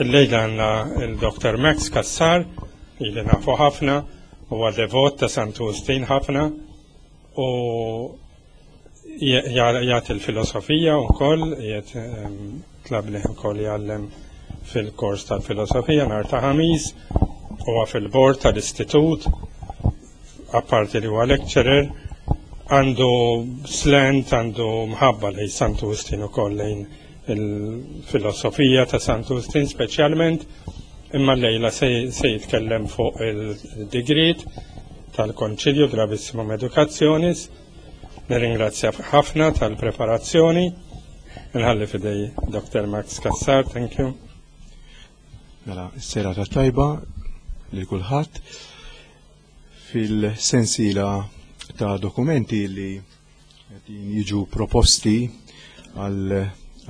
Illejla għandna il-Dr. Max Cassar, ili nafu ħafna, huwa devot ta' Santu Wistin ħafna u jagħti l-filosofija wkoll, qiegħed ehm, tlabni wkoll jgħallem fil-kors tal-filosofija nhar ta' ħamis, huwa fil-bord tal-istitut, apparti li huwa lecturer, għandu slant, għandu mħabba lejn Santu Wistin ukoll lejn il-filosofija ta' Santu Wistin speċjalment, imma llejla se jitkellem fuq il-digriet tal-Konċilju Gravissimum Educationis. Nirringrazzja ħafna tal-preparazzjoni. Nħalli fidej Dr. Max Cassar, thank you. Mela, s-sera ta' tajba li kulħadd fil-sensiela ta' dokumenti li qegħdin jiġu proposti għal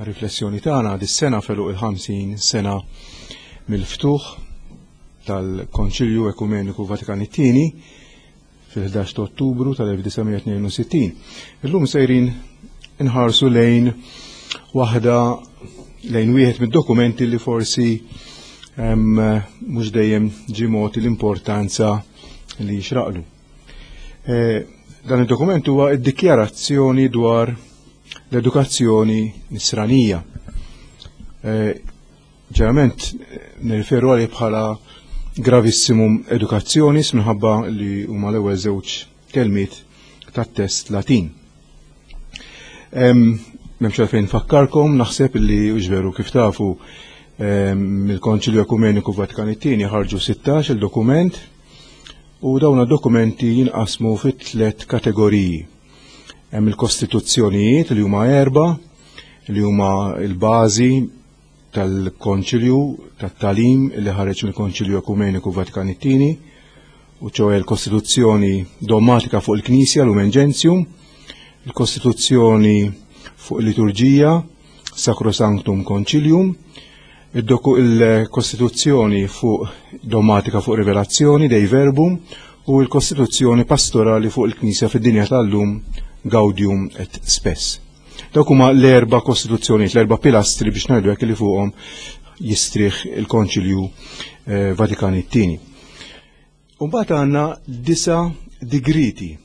riflessjoni tagħna dis-sena felu il-50 sena mill-ftuħ tal-Konċilju Ekumeniku Vatikan it-Tieni fil-11 ta' Ottubru tal-1962. Illum sejrin inħarsu lejn waħda lejn wieħed mid-dokumenti li forsi mhux dejjem ġie mogħti l-importanza li jixraqlu. Eh, dan id-dokument huwa id-dikjarazzjoni dwar l-edukazzjoni nisranija. Eh, ġeneralment eh, nirriferu għalih bħala gravissimum educationis minħabba li huma l-ewwel żewġ kelmiet tat-test Latin. M'hemmx għalfejn nfakkarkom, naħseb li veru kif tafu mill-Konċilju Ekumeniku Vatikan it-Tieni ħarġu 16 il-dokument u dawn dokumenti jinqasmu fi tliet kategoriji. Hemm il-kostituzzjonijiet li huma erba' li huma l-bażi tal-Konċilju tat-Tagħlim li ħareġ mill-Konċilju Ekumeniku Vatikan it-Tieni, u ċoe l-Kostituzzjoni Dogmatika fuq il-Knisja Lumen Gentium, il-Kostituzzjoni fuq il-Liturġija Sacrosanctum Concilium, il-Kostituzzjoni fuq Dogmatika fuq Rivelazzjoni Dei Verbum u l-Kostituzzjoni Pastorali fuq il-Knisja fid-dinja tal-lum Gaudium et Spes. Dawk huma l-erba' kostituzzjonijiet, l-erba' pilastri biex ngħidu hekk li fuqhom jistrieħ il-Konċilju eh, Vatikan it-tieni. Umbagħad għandna disa digriti.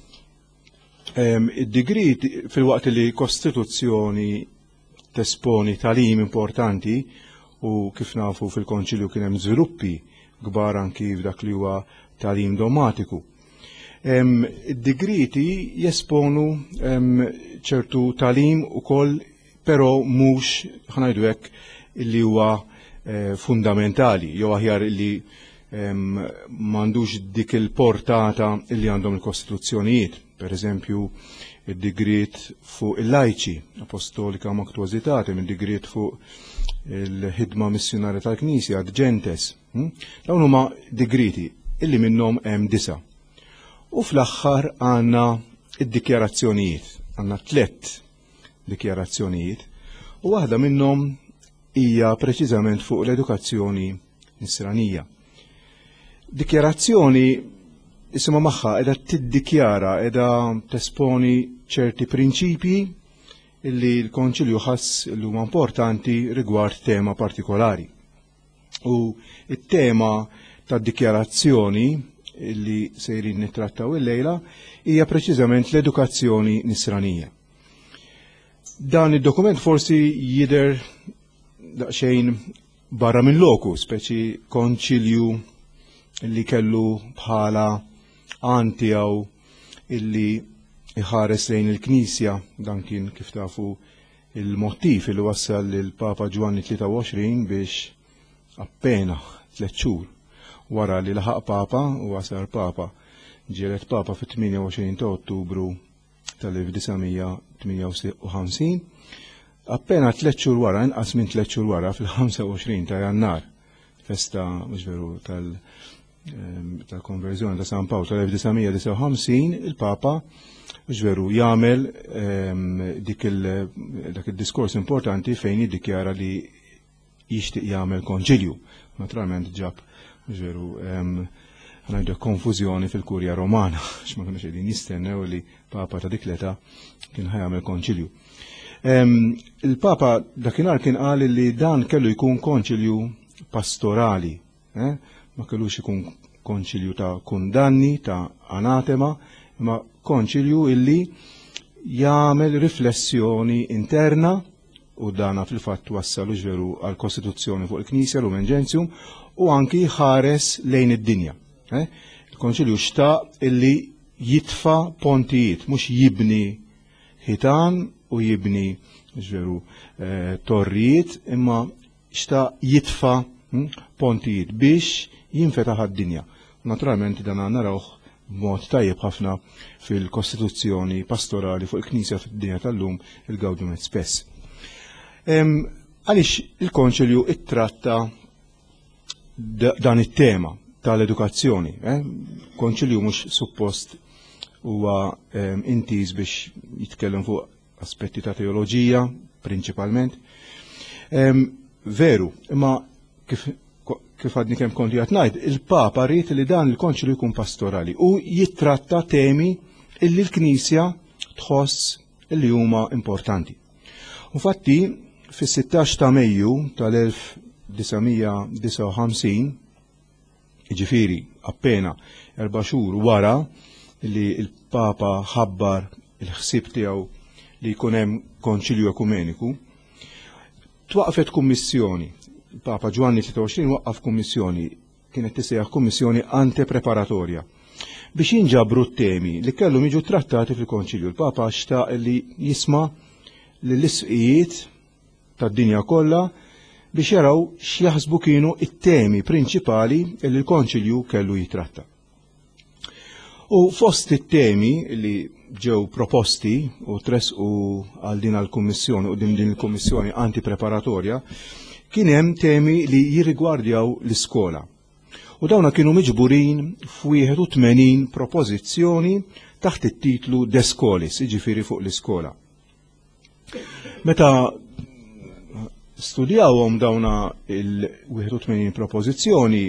Id-digriti fil-waqt li kostituzzjoni tesponi talim importanti u kif nafu fil-konċilju kien hemm żviluppi kbar anki f'dak li huwa talim domatiku. Id-digriti jesponu ċertu talim ukoll però mhux ħanajdu hekk li huwa eh, fundamentali jew aħjar li m'għandux dik il-portata li għandhom il-kostituzzjonijiet. Per eżempju, id-digriet fuq il-lajċi, apostolika mactuositate, minn digriet fuq il-ħidma missjonarja tal-Knisja, ad gentes. Hm? Dawn huma digriti illi minnhom hemm disa. U fl-aħħar għandna id-dikjarazzjonijiet, għandna tlett dikjarazzjonijiet, u waħda minnhom hija preċiżament fuq l-edukazzjoni nisranija. Dikjarazzjoni isimha magħha qiegħda tiddikjara, qiegħda tesponi ċerti prinċipji illi l-Konċilju ħass li huma importanti rigward tema partikolari. U it-tema tad-dikjarazzjoni li sejrin nittrattaw illejla hija preċiżament l-edukazzjoni nisranija. Dan id-dokument forsi jidher daqsxejn barra minn loku, speċi konċilju li kellu bħala għan tiegħu illi iħares lejn il-Knisja, dan kien kif tafu il-mottiv li wassal lil Papa Ġwanni 23 biex appena tliet xhur wara li laħaq Papa u sar Papa ġielet Papa fit-28 ta' Ottubru tal-1958. Appena tliet xhur wara, inqas minn tliet xhur wara, fil-25 ta' Jannar, festa mhux veru tal- Ehm, tal-konverżjoni ta' San Pawl tal-1959, il-Papa veru jagħmel ehm, dik dak id-diskors importanti fejn jiddikjara li jixtieq jagħmel konċilju. Naturalment ġab veru ehm, ngħidu konfużjoni fil-Kurja Romana, x'ma kienux qegħdin jistennew li Papa ta' dik l-età kien ħajamel konċilju. Il-Papa dakinhar kien qal li dan kellu jkun konċilju pastorali, eh? Ma kellux ikun konċilju ta' kundanni, ta' anatema, imma konċilju illi jagħmel riflessjoni interna u dana fil-fatt wassal veru għal kostituzzjoni fuq il-Knisja Lumen Gentium u anki ħares lejn id-dinja. Eh? Il-Konċilju xtaq illi jitfa pontijiet, mhux jibni ħitan u jibni ġveru eh, torrijiet, imma xtaq jitfa pontijiet biex jinfetaħ għad-dinja. Naturalment dan narawh b'mod tajjeb ħafna fil-Kostituzzjoni pastorali fuq il-Knisja fid-dinja tal-lum il-Gaudium et Spes. Għaliex il-Konċilju ittratta dan it-tema tal-edukazzjoni? Eh? Konċilju mhux suppost huwa intiż biex jitkellem fuq aspetti ta' teoloġija prinċipalment. Veru, imma kif kif għadni kemm konti qed ngħid, il-Papa ried li dan il-konċilju jkun pastorali u jittratta temi illi l-Knisja tħoss illi huma importanti. Infatti, fis-16 ta' Mejju tal-1959, jiġifieri appena 4 xhur wara li l-Papa ħabbar il-ħsieb tiegħu li jkun hemm konċilju ekumeniku, twaqfet kummissjoni. Il-Papa Ġwanni 23 waqqaf kummissjoni, kienet tisejjaħ kummissjoni antepreparatorja, biex jinġabru t-temi li kellhom jiġu trattati fil-konċilju. Il-Papa xtaq li jisma' lill-isqijiet tad-dinja kollha biex jaraw x'jaħsbu kienu it-temi prinċipali li l-konċilju kellu jitratta. U fost it-temi li ġew proposti u tresqu għal din għall-kummissjoni u din il-kummissjoni antipreparatorja, kien hemm temi li jirrigwardjaw l-iskola. U dawna kienu miġburin f'81 propożizzjoni taħt it-titlu De Scholis, jiġifieri fuq l-iskola. Meta studjawhom dawna il-81 propożizzjoni,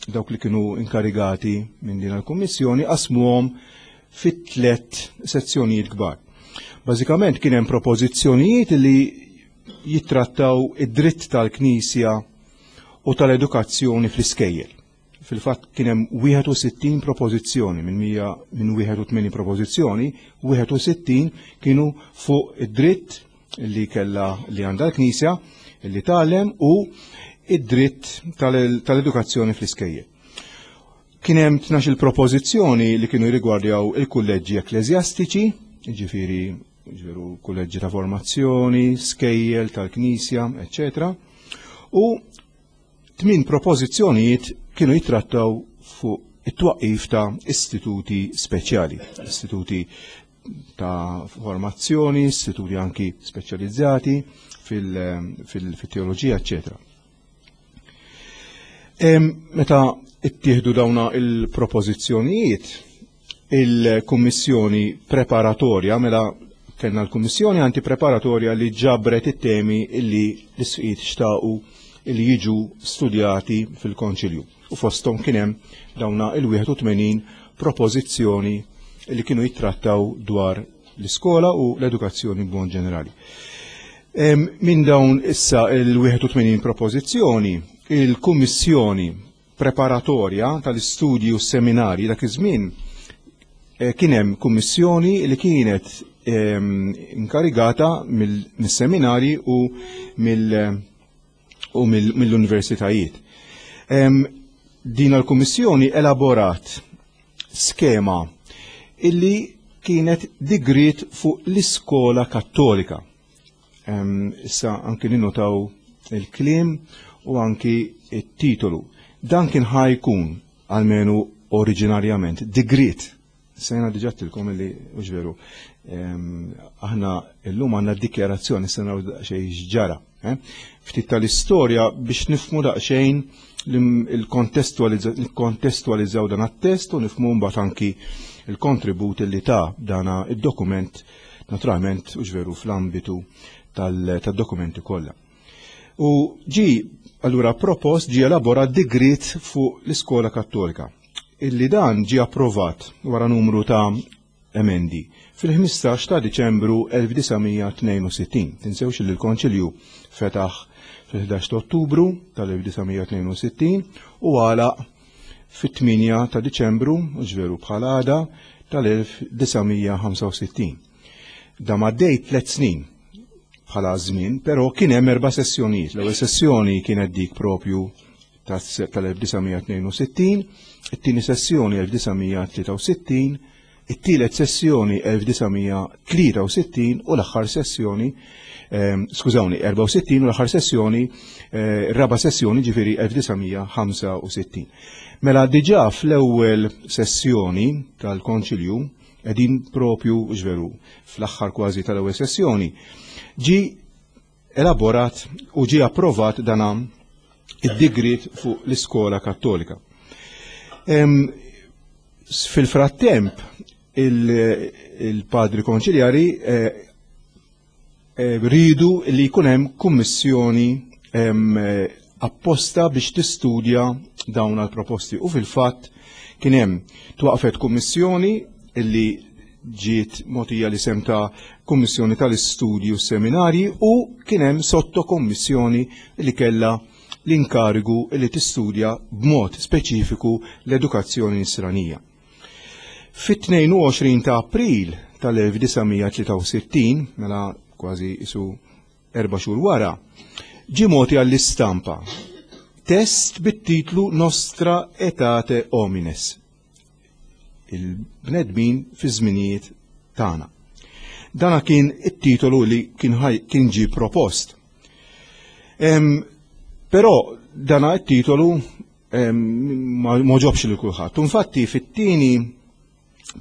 dawk li kienu inkarigati minn din il-kummissjoni qasmuhom fit tliet sezzjonijiet kbar. Bażikament kien hemm propożizzjonijiet li jittrattaw id-dritt tal-Knisja u tal-edukazzjoni fl-iskejjel. Fil-fatt kien hemm 61 propożizzjoni minn 100 minn 81 propożizzjoni, 61 kienu fuq id-dritt li kella li għandha l-Knisja li tgħallem u id-dritt tal-edukazzjoni fl-iskejjel. Kien hemm 12 propożizzjoni li kienu jirrigwardjaw il-kulleġġi ekkleżjastiċi, ġifieri ġifieri kulleġġi ta' formazzjoni, skejjel tal-Knisja, eccetera. U 8 propożizzjonijiet kienu jittrattaw fuq it-twaqqif ta' istituti speċjali, istituti ta' formazzjoni, istituti anki speċjalizzati fil-teoloġija, eccetera. Meta ittieħdu dawna il-propożizzjonijiet, il-kummissjoni preparatorja, mela kellna l-kummissjoni antipreparatorja li ġabret it-temi illi l-isqiet xtaqu li jiġu studjati fil-konċilju. U fosthom kien hemm dawna il-81 propożizzjoni li kienu jittrattaw dwar l-iskola u l-edukazzjoni b'mod ġenerali. Minn dawn issa il-81 propożizzjoni, il-kummissjoni preparatorja tal-istudji u seminari dak iż-żmien kien hemm kummissjoni li kienet inkarigata mill-seminari u mill-universitajiet. Din l-kummissjoni elaborat skema illi kienet digriet fuq l-iskola kattolika. Issa anki ninnotaw il-kliem u anki it-titolu. Dan kien ħajkun, almenu oriġinarjament, digriet. Sejna diġà tilkom illi, hux veru, aħna illum għandna dikjarazzjoni, se naraw daqsxejn x'ġara. Eh? Ftit tal-istorja biex nifhmu daqsxejn il-kontestualizzaw dan għat-test u nifhmu mbagħad anki il-kontribut li ta' dana id-dokument naturalment u veru fl-ambitu tad-dokumenti kollha. U ġi allura propost, ġi elaborat digriet fuq l-iskola kattolika, illi dan ġi approvat wara numru ta' emendi. fil-15 ta' Diċembru 1962. Tinsewx li l-Konċilju fetaħ fil-11 ta' Ottubru tal-1962 u għalaq fit-8 ta' Diċembru, ġveru bħal għada, tal-1965. Da maddej 3 snin bħala żmien, però kien hemm 4 sessjonijiet. L-ewwel sessjoni kienet dik propju tal-1962, it-tieni sessjoni 1963, it-tielet sessjoni 1963 u l-aħħar sessjoni, skużawni, 64 u l-aħħar sessjoni, raba' sessjoni ġifieri 1965. Mela diġà fl-ewwel sessjoni tal-Konċilju, qegħdin propju ġveru fl-aħħar kważi tal-ewwel sessjoni, ġi elaborat u ġi approvat dana id-digriet fuq l-iskola kattolika. Fil-frattemp, il-padri konċiljari ridu li jkun hemm kummissjoni apposta biex tistudja dawn għal-proposti. U fil-fatt kien hemm twaqfet kummissjoni illi ġiet mogħtija l-isem ta' Kummissjoni tal-Istudji u Seminarji u kien hemm sottokommissjoni li kellha l-inkarigu li tistudja b'mod speċifiku l-edukazzjoni nisranija. Fit-22 ta' April tal-1963, mela kważi isu 4 xhur wara, ġie mogħti għall-istampa test bit-titlu Nostra Aetate Homines, il-bnedmin fi żminijiet tagħna. Dana kien it-titolu li kien ġie propost. Però dana it-titolu ma ġobx lil kulħadd. Infatti fit-tieni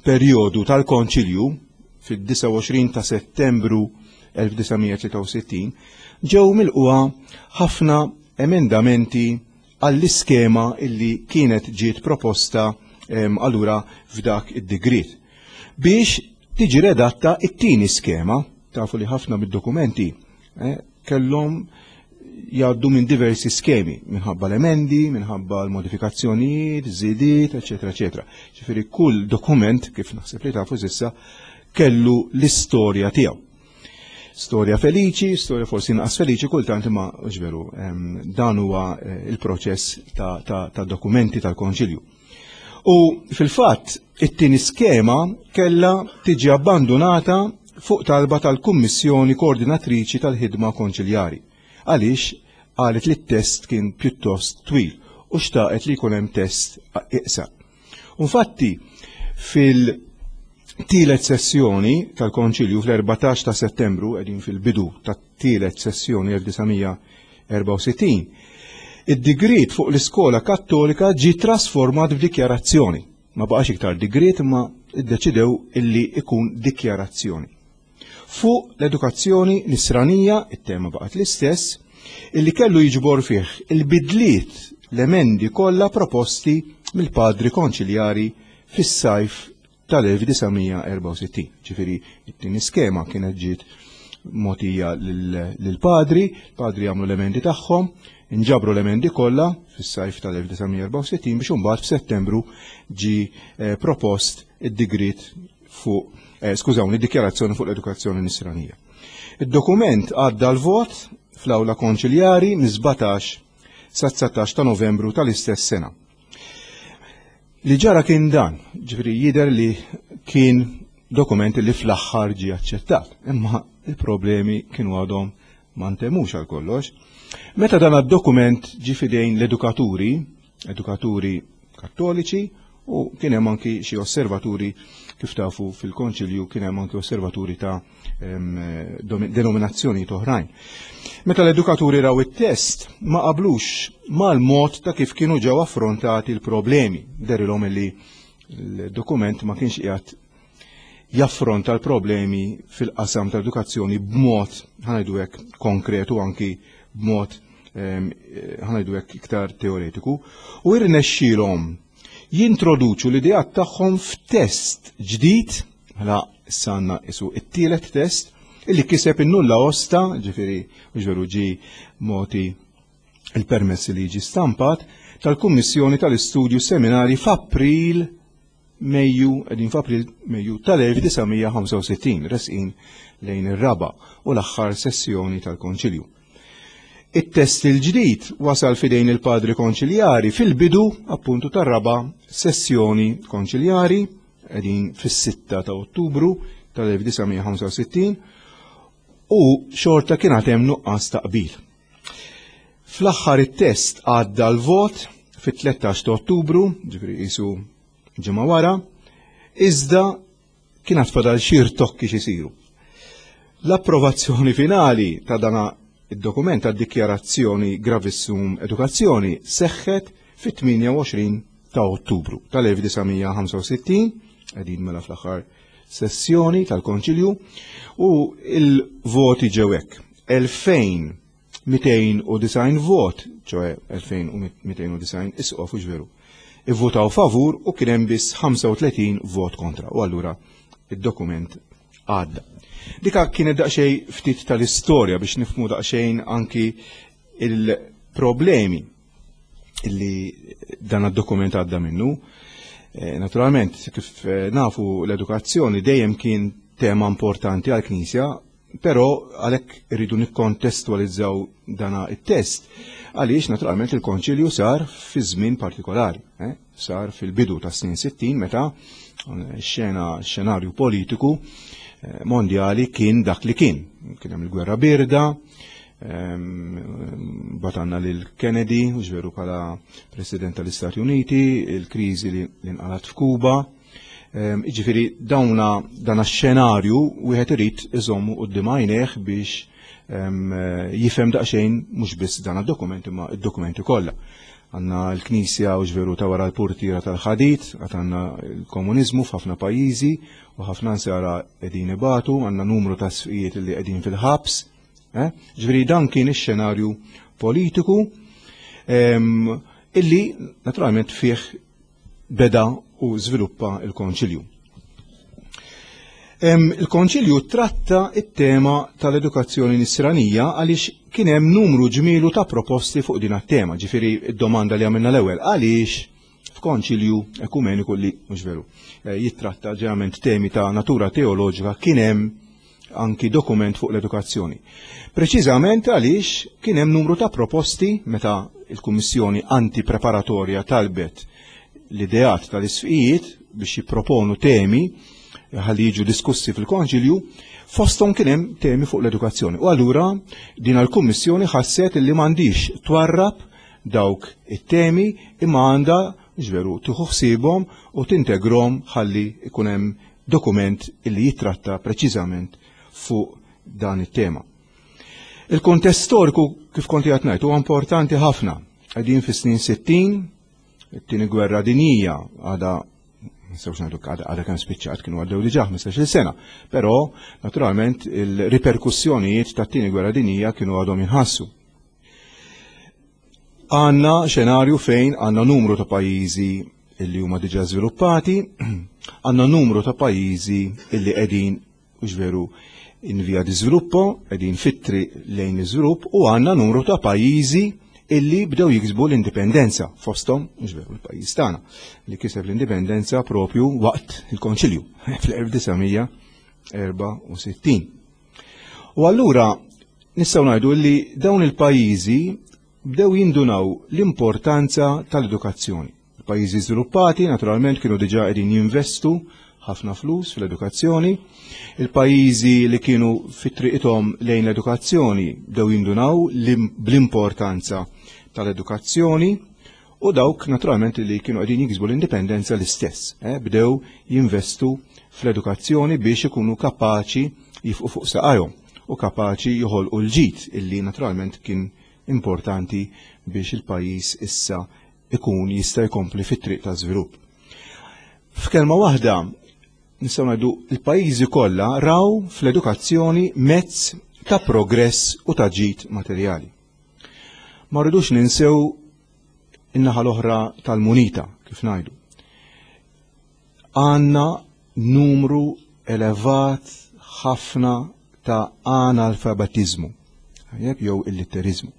perjodu tal-Konċilju, fid-29 ta' Settembru 1963, ġew milquha ħafna emendamenti għall-iskema illi kienet ġiet proposta allura f'dak id-digriet. Biex tiġi redatta it-tieni skema, tafu li ħafna mid-dokumenti kellhom jgħaddu minn diversi skemi, minħabba l-emendi, minħabba l-modifikazzjonijiet, żidiet, eċetera, eċetera. Ġifieri kull dokument, kif naħseb li tafu s'issa, kellu l-istorja tiegħu. Storja feliċi, storja forsi inqas feliċi, kultant imma ġveru, dan huwa il-proċess ta' dokumenti tal-Konċilju. U fil-fatt, it-tieni skema kellha tiġi abbandonata fuq talba tal-Kummissjoni Koordinatriċi tal-Ħidma Konċiljari, għaliex qalet li t-test kien pjuttost twil u xtaqet li jkun hemm test iqsar. Infatti, fil-tielet sessjoni tal-Konċilju fl-14 ta' Settembru, qegħdin fil-bidu tat-tielet sessjoni 1964, id-digriet fuq l-iskola kattolika ġie trasformat f'dikjarazzjoni. Ma baqax iktar digriet imma iddeċidew illi ikun dikjarazzjoni. Fuq l-edukazzjoni nisranija, it-tema baqgħet l-istess, illi kellu jiġbor fih il-bidliet l-emendi kollha proposti mill-padri konċiljari fis-sajf tal-1964. Ġifieri, it-tieni skema kienet ġiet mogħtija lill-padri, padri għamlu l-emendi tagħhom, inġabru l-emendi kollha fis-sajf tal-1964 biex imbagħad f'Settembru ġie propost id-digriet fuq skużawni, dikjarazzjoni fuq l-edukazzjoni nisranija. Id-dokument għadda l-vot fl-awla konċiljari mis-17 sa 19 ta' Novembru tal-istess sena. Li ġara kien dan, ġifieri jidher li kien dokument li fl-aħħar ġie aċċettat, imma il-problemi kienu għadhom ma ntemmux għal kollox. Meta dan id-dokument ġie fidejn l-edukaturi, edukaturi kattoliċi, u kien hemm anki xi osservaturi, kif tafu fil-konċilju kien hemm anki osservaturi ta' denominazzjoni oħrajn. Meta l-edukaturi raw it-test ma qablux mal-mod ta' kif kienu ġew affrontati l-problemi. Derilhom illi l-dokument ma kienx qiegħed jaffronta l-problemi fil-qasam tal-edukazzjoni b'mod, ħanajdu hekk, konkretu, anki b'mod ħanajdu hekk iktar teoretiku, u irnexxielhom jintroduċu l-ideat tagħhom f'test ġdid, mela issa għandna isu it-tielet test, illi kiseb in-nulla osta, ġifieri ġveru ġi moti il-permess li jiġi stampat, tal-Kummissjoni tal-Istudju Seminari f'April Mejju, qegħdin f'April, Mejju tal-1965, resqin lejn ir-raba' u l-aħħar sessjoni tal-Konċilju. It-test il-ġdid wasal fidejn il-padri konċiljari fil-bidu appuntu tar-raba' sessjoni konċiljari, qegħdin fis-6 ta' Ottubru tal-1965, u xorta kien għad hemm nuqqas ta' qbil. Fl-aħħar it-test għadda l-vot fit-13 ta' Ottubru, ġifieri qisu ġimgħa wara, iżda kien għad fadal xi rtokki x'isiru. L-approvazzjoni finali ta' dana id-dokument tad-dikjarazzjoni Gravissum Edukazzjoni seħħet fit-28 ta' Ottubru tal-1965, qegħdin mela fl-aħħar sessjoni tal-Konċilju, u il-voti ġew hekk. 2290 vot, ċoe 2290 isqof u veru, ivvutaw favur u kien hemm biss 35 vot kontra. U allura id-dokument għadda. Dika kienet daqsxejn ftit tal-istorja biex nifhmu daqsxejn anki il-problemi illi dan id-dokument għadda minnu. Naturalment, kif nafu l-edukazzjoni dejjem kien tema importanti għall-Knisja, però għalhekk irridu nikkontestualizzaw dana it-test, għaliex naturalment il-konċilju sar fi żmien partikolari, sar fil-bidu ta' snin 60 meta xenarju politiku mondjali kien dak li kien. Kien hemm il-gwerra birda, batanna lil Kennedy, u veru bħala President tal-Istati Uniti, il-kriżi li nqalat f'Kuba. Jiġifieri dawna dan x-xenarju wieħed irid iżommu quddiem għajnejh biex jifhem daqsxejn mhux biss dan id-dokument imma id-dokumenti kollha. Għandna l-Knisja u ġveru ta' wara l-purtiera tal-ħadid, għad għandna l-komuniżmu f'ħafna pajjiżi u ħafna nsara qegħdin ibatu, għandna numru ta' sfijiet li qegħdin fil-ħabs. Ġifieri dan kien ix-xenarju politiku illi naturalment fih beda u żviluppa l-Konċilju. Il-Konċilju tratta it-tema tal-edukazzjoni nisranija għaliex kien hemm numru ġmielu ta' proposti fuq din it-tema, ġifieri d-domanda li għamilna l-ewwel għaliex f'konċilju ekumeniku li mhux veru jittratta ġeneralment temi ta' natura teoloġika kien hemm anki dokument fuq l-edukazzjoni. Preċiżament għaliex kien hemm numru ta' proposti meta il-Kummissjoni Antipreparatorja talbet l-ideat tal-isfijiet biex jipproponu temi ħalli jiġu diskussi fil-konċilju, fosthom kien hemm temi fuq l-edukazzjoni. U allura din l-Kummissjoni ħasset li m'għandix twarrab dawk it-temi imma għandha ġveru tieħu ħsiebhom u tintegrom ħalli ikun hemm dokument illi jitratta preċiżament fuq dan it-tema. Il-kontest storiku kif konti qed ngħid huwa importanti ħafna. Qegħdin fis-snin 60, it-tieni gwerra dinjija għadha nistgħux ngħidu għadha kemm spiċċat kienu għaddew diġà 15-il sena, però naturalment il-riperkussjonijiet tat-tieni gwerra dinjija kienu għadhom jinħassu. Għandna xenarju fejn għandna numru ta' pajjiżi illi huma diġà żviluppati, għandna numru ta' pajjiżi illi qegħdin mhux veru in via di sviluppo, qegħdin fit-triq lejn l-iżvilupp, u għandna numru ta' pajjiżi illi bdew jiksbu l-indipendenza, fosthom mhux veru l-pajjiż tagħna li kiseb l-indipendenza propju waqt il-Konċilju fl-1964. U allura nistgħu ngħidu li dawn il-pajjiżi bdew jindunaw l-importanza tal-edukazzjoni. Il-pajjiżi żviluppati naturalment kienu diġà qegħdin jinvestu ħafna flus fil-edukazzjoni. Il-pajjiżi li kienu fit-triqithom lejn l-edukazzjoni bdew jindunaw bl-importanza tal-edukazzjoni u dawk naturalment li kienu qegħdin jiksbu l-indipendenza l-istess, bdew jinvestu fl-edukazzjoni biex ikunu kapaċi jifqu fuq saqajhom u kapaċi joħolqu l-ġid illi naturalment kien importanti biex il-pajjiż issa ikun jista' jkompli fit-triq ta' żvilupp. F'kelma waħda nistgħu ngħidu l-pajjiżi kollha raw fl-edukazzjoni mezz ta' progress u ta' ġid materjali. Ma rridux ninsew in-naħa l-oħra tal-munita, kif ngħidu. Għandna numru elevat ħafna ta' analfabetizmu, jew illitterizmu.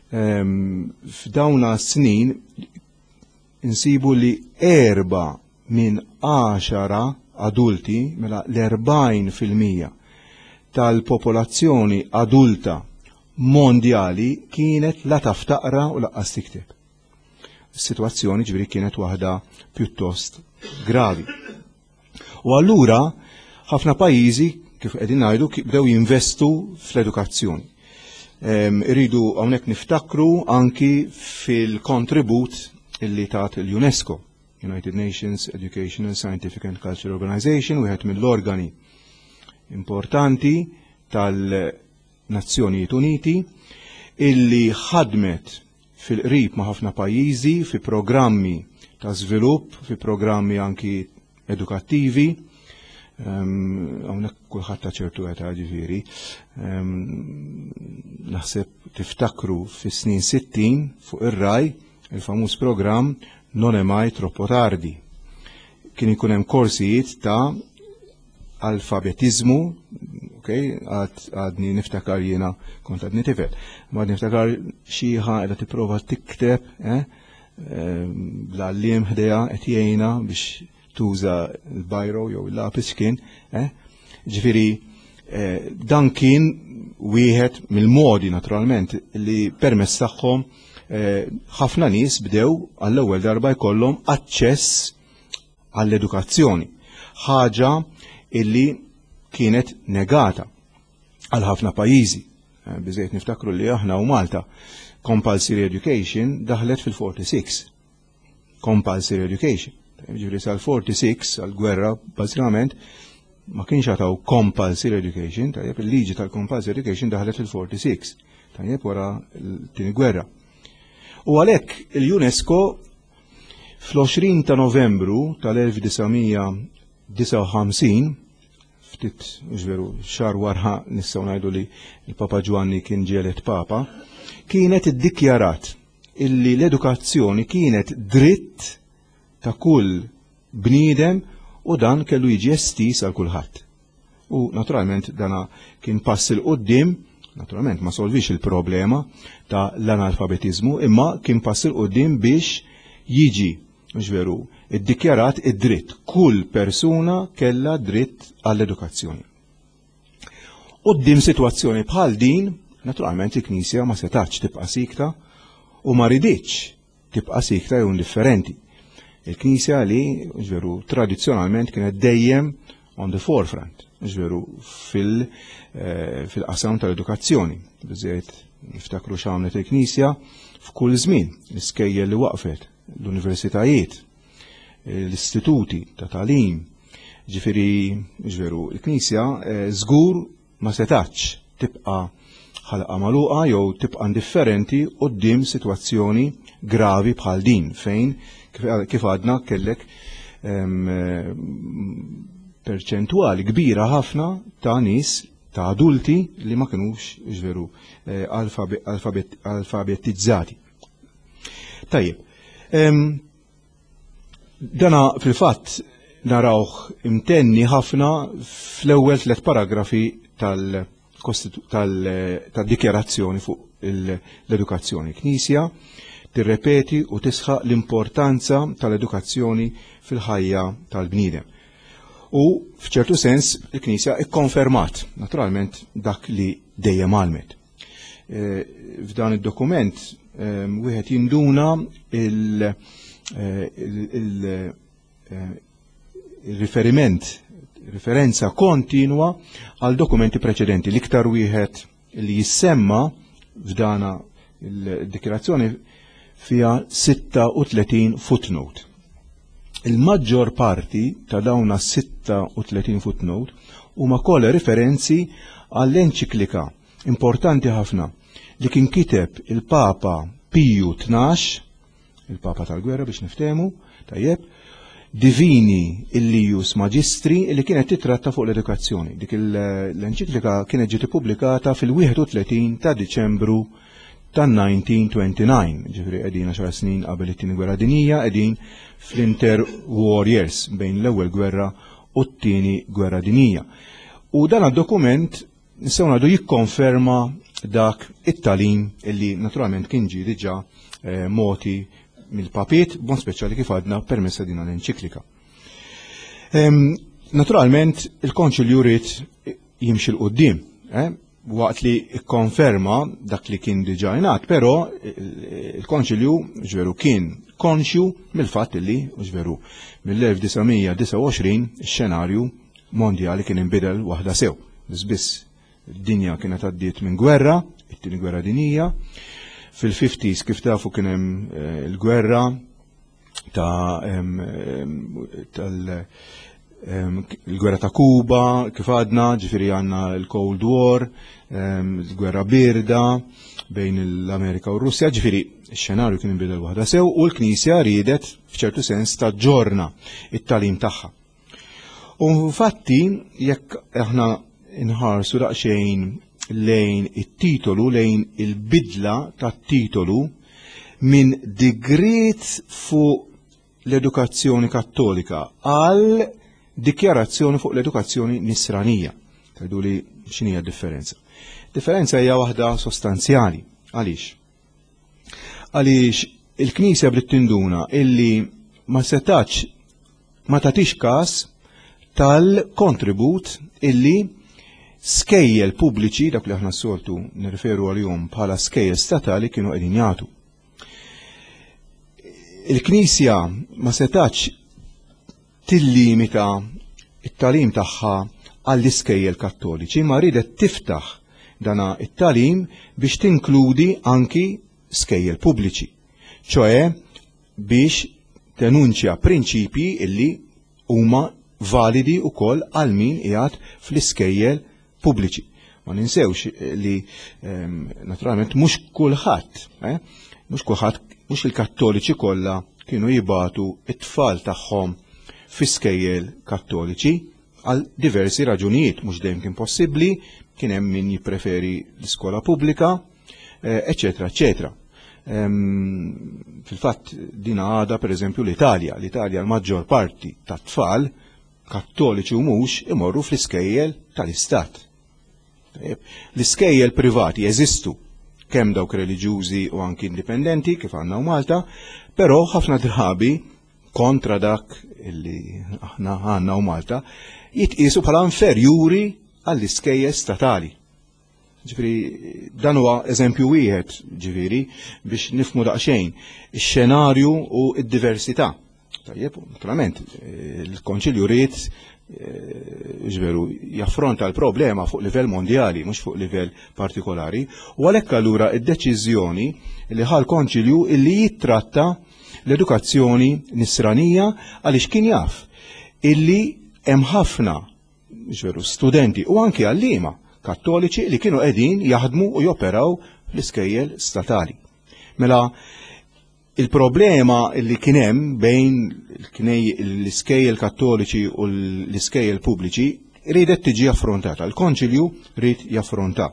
F'dawna snin insibu li 4 minn 10 adulti, mela l-40% tal-popolazzjoni adulta mondjali kienet la taf taqra u laqqas tikteb. Is-sitwazzjoni ġifieri kienet waħda pjuttost gravi. U allura ħafna pajjiżi kif qegħdin ngħidu bdew jinvestu fl-edukazzjoni. Irridu hawnhekk niftakru anki fil-kontribut illi tat il-UNESCO, United Nations Educational, Scientific and Cultural Organization, wieħed mill-organi importanti tal-Nazzjonijiet Uniti, illi ħadmet fil-qrib ma' ħafna pajjiżi fi programmi ta' żvilupp, fi programmi anki edukattivi. Hawnhekk kulħadd ta' ċertu età ġifieri. Naħseb tiftakru fis-snin 60 fuq ir-Rai il-famuż programm Non è mai troppo tardi. Kien ikun hemm korsijiet ta' alfabetizmu, ok, għadni niftakar jiena kont għadni tifel, ma għadni niftakar xieħa qiegħda tipprova tikteb, eh, bl-għalliem ħdejha qed jgħinha biex tuża l-bajro jew il-lapis kien, eh? Ġifieri eh, dan kien wieħed mill-modi naturalment li permezz tagħhom eh, ħafna nies bdew għall-ewwel darba jkollhom aċċess għall-edukazzjoni, ħaġa illi kienet negata għal ħafna pajjiżi. Eh, biżejt niftakru li aħna u Malta compulsory education daħlet fil-46. Compulsory education. Ġifieri sal-46 għal-gwerra bażikament ma kienx għataw compulsory education, tajjeb il-liġi tal-compulsory education daħlet fil-46, tajjeb wara l-tieni gwerra. U għalhekk il-UNESCO fl-20 ta' Novembru tal-1959, ftit veru xahar wara nistgħu ngħidu li l-Papa Ġwanni kien ġielet Papa, kienet iddikjarat illi l-edukazzjoni kienet dritt ta' kull bniedem u dan kellu jiġi estiż għal kulħadd. U naturalment dana kien pass il quddiem, naturalment ma solvix il-problema ta' l-analfabetizmu, imma kien pass il quddiem biex jiġi, mhux veru, iddikjarat id-dritt. Kull persuna kellha dritt għall-edukazzjoni. Quddiem sitwazzjoni bħal din, naturalment il-Knisja ma setax tibqa' sikta u ma riditx tibqa' sikta jew indifferenti. Il-Knisja li, veru, tradizzjonalment kienet dejjem on the forefront, veru, eh, fil-qasam tal-edukazzjoni. Biżejt niftakru x'għamlet il-Knisja f'kull żmien, l-iskejjel li waqfet, l-universitajiet, l-istituti ta' tagħlim. Ġifieri, veru, il-Knisja eh, żgur ma setax tibqa' ħalqa magħluqa jew tibqa' indifferenti quddiem sitwazzjoni gravi bħal din fejn kif għadna kellek perċentwali kbira ħafna ta' nies ta' adulti li ma kinux veru eh, alfabetizzati. Tajjeb, dana fil-fatt narawh imtenni ħafna fl-ewwel tliet paragrafi tal-dikjarazzjoni fuq l-edukazzjoni. Knisja tirrepeti u tisħaq l-importanza tal-edukazzjoni fil-ħajja tal-bniedem. U f'ċertu sens il-Knisja ikkonfermat naturalment dak li dejjem għalmet. Eh, f'dan id-dokument eh, wieħed jinduna il-riferiment, referenza kontinwa għal dokumenti preċedenti. L-iktar wieħed li jissemma f'dana il-dikjarazzjoni fija 36 footnote. Il-maġġor parti ta' dawna 36 footnote huma kollha referenzi għall-enċiklika importanti ħafna li kien kiteb il-Papa Piju 12, il-Papa tal-Gwerra biex niftehmu, tajjeb, Divini Illius Magistri li kienet titratta fuq l-edukazzjoni. Dik l-enċiklika kienet ġiet ippubblikata fil-31 ta' Diċembru tan-1929, ġifieri qegħdin 10 snin qabel it-tieni gwerra dinjija, qegħdin fl-inter-war years bejn l-ewwel gwerra u t-tieni gwerra dinjija. U dan dokument nistgħu ngħidu jikkonferma dak it-tagħlim illi naturalment kien ġie diġà eh, moti mill-papiet, bon speċjali kif għadna permessa din l-enċiklika. Naturalment, il-Konċilju ried jimxi 'l quddiem, eh, waqt li kkonferma dak li kien diġà ingħad, però il-Konċilju ġveru kien konxju mill-fatt li ġveru mill-1929 ix-xenarju mondjali kien inbidel waħda sew. Biss id-dinja kienet għaddiet minn gwerra, it-tieni gwerra dinjija. Fil-50s kif tafu kien hemm eh, il-gwerra ta' tal il-gwerra ta' Kuba, kif għadna, ġifiri għanna l-Cold War, il-gwerra birda bejn l-Amerika u Russja, ġifiri xenarju kien inbidel waħda sew u l-Knisja riedet f'ċertu sens taġġorna it-talim tagħha. U infatti jekk aħna nħarsu daqsxejn lejn it-titolu, lejn il-bidla tat-titolu minn digriet fuq l-edukazzjoni kattolika għal dikjarazzjoni fuq l-edukazzjoni nisranija. Tgħidu li x'inhi differenza? Differenza hija waħda sostanzjali. Għaliex? Għaliex il-Knisja bdiet tinduna illi ma setax ma tagħtix każ tal-kontribut illi skejjel pubbliċi, dak li aħna s-soltu nirreferu għalihom bħala skejjel statali kienu qegħdin jagħtu. Il-Knisja ma setax tillimita it-talim tagħha għall-iskejjel kattoliċi, ma ridet tiftaħ dana it-talim biex tinkludi anki skejjel pubbliċi, ċoe biex tenunċja prinċipji illi huma validi wkoll għal min qiegħed fl-iskejjel pubbliċi. Ma ninsewx li naturalment mhux kulħadd, eh, mhux kulħadd, mhux il-Kattoliċi kollha kienu jibatu it-tfal tagħhom fi skejjel Kattoliċi għal diversi raġunijiet, mhux dejjem kien possibbli, kien hemm min jippreferi l-iskola pubblika, eċetera, eċetera. Fil-fatt din għada per eżempju l-Italja, l-Italja l-maġġor parti tat-tfal kattoliċi u mhux imorru fl-iskejjel tal-istat. L-iskejjel privati jeżistu kemm dawk reliġjużi u anki indipendenti kif għandna u Malta, però ħafna drabi kontra dak illi aħna għandna u Malta jitqisu bħala inferjuri għall-iskejjel statali. Ġifieri dan huwa eżempju wieħed ġifieri biex nifmu daqsxejn ix-xenarju u d-diversità. Tajjeb, naturalment, il-Konċilju ried eh, ġveru jaffronta l-problema fuq livell mondjali, mhux fuq livell partikolari, u għalhekk allura id-deċiżjoni li ħal konċilju illi jittratta l-edukazzjoni nisranija għaliex kien jaf illi hemm ħafna ġveru studenti u anki għalliema kattoliċi li kienu qegħdin jaħdmu u joperaw fl-iskejjel statali. Mela il-problema li kien hemm bejn l-iskejjel kattoliċi u l-iskejjel pubbliċi riedet tiġi affrontata. Il-konċilju ried jaffronta.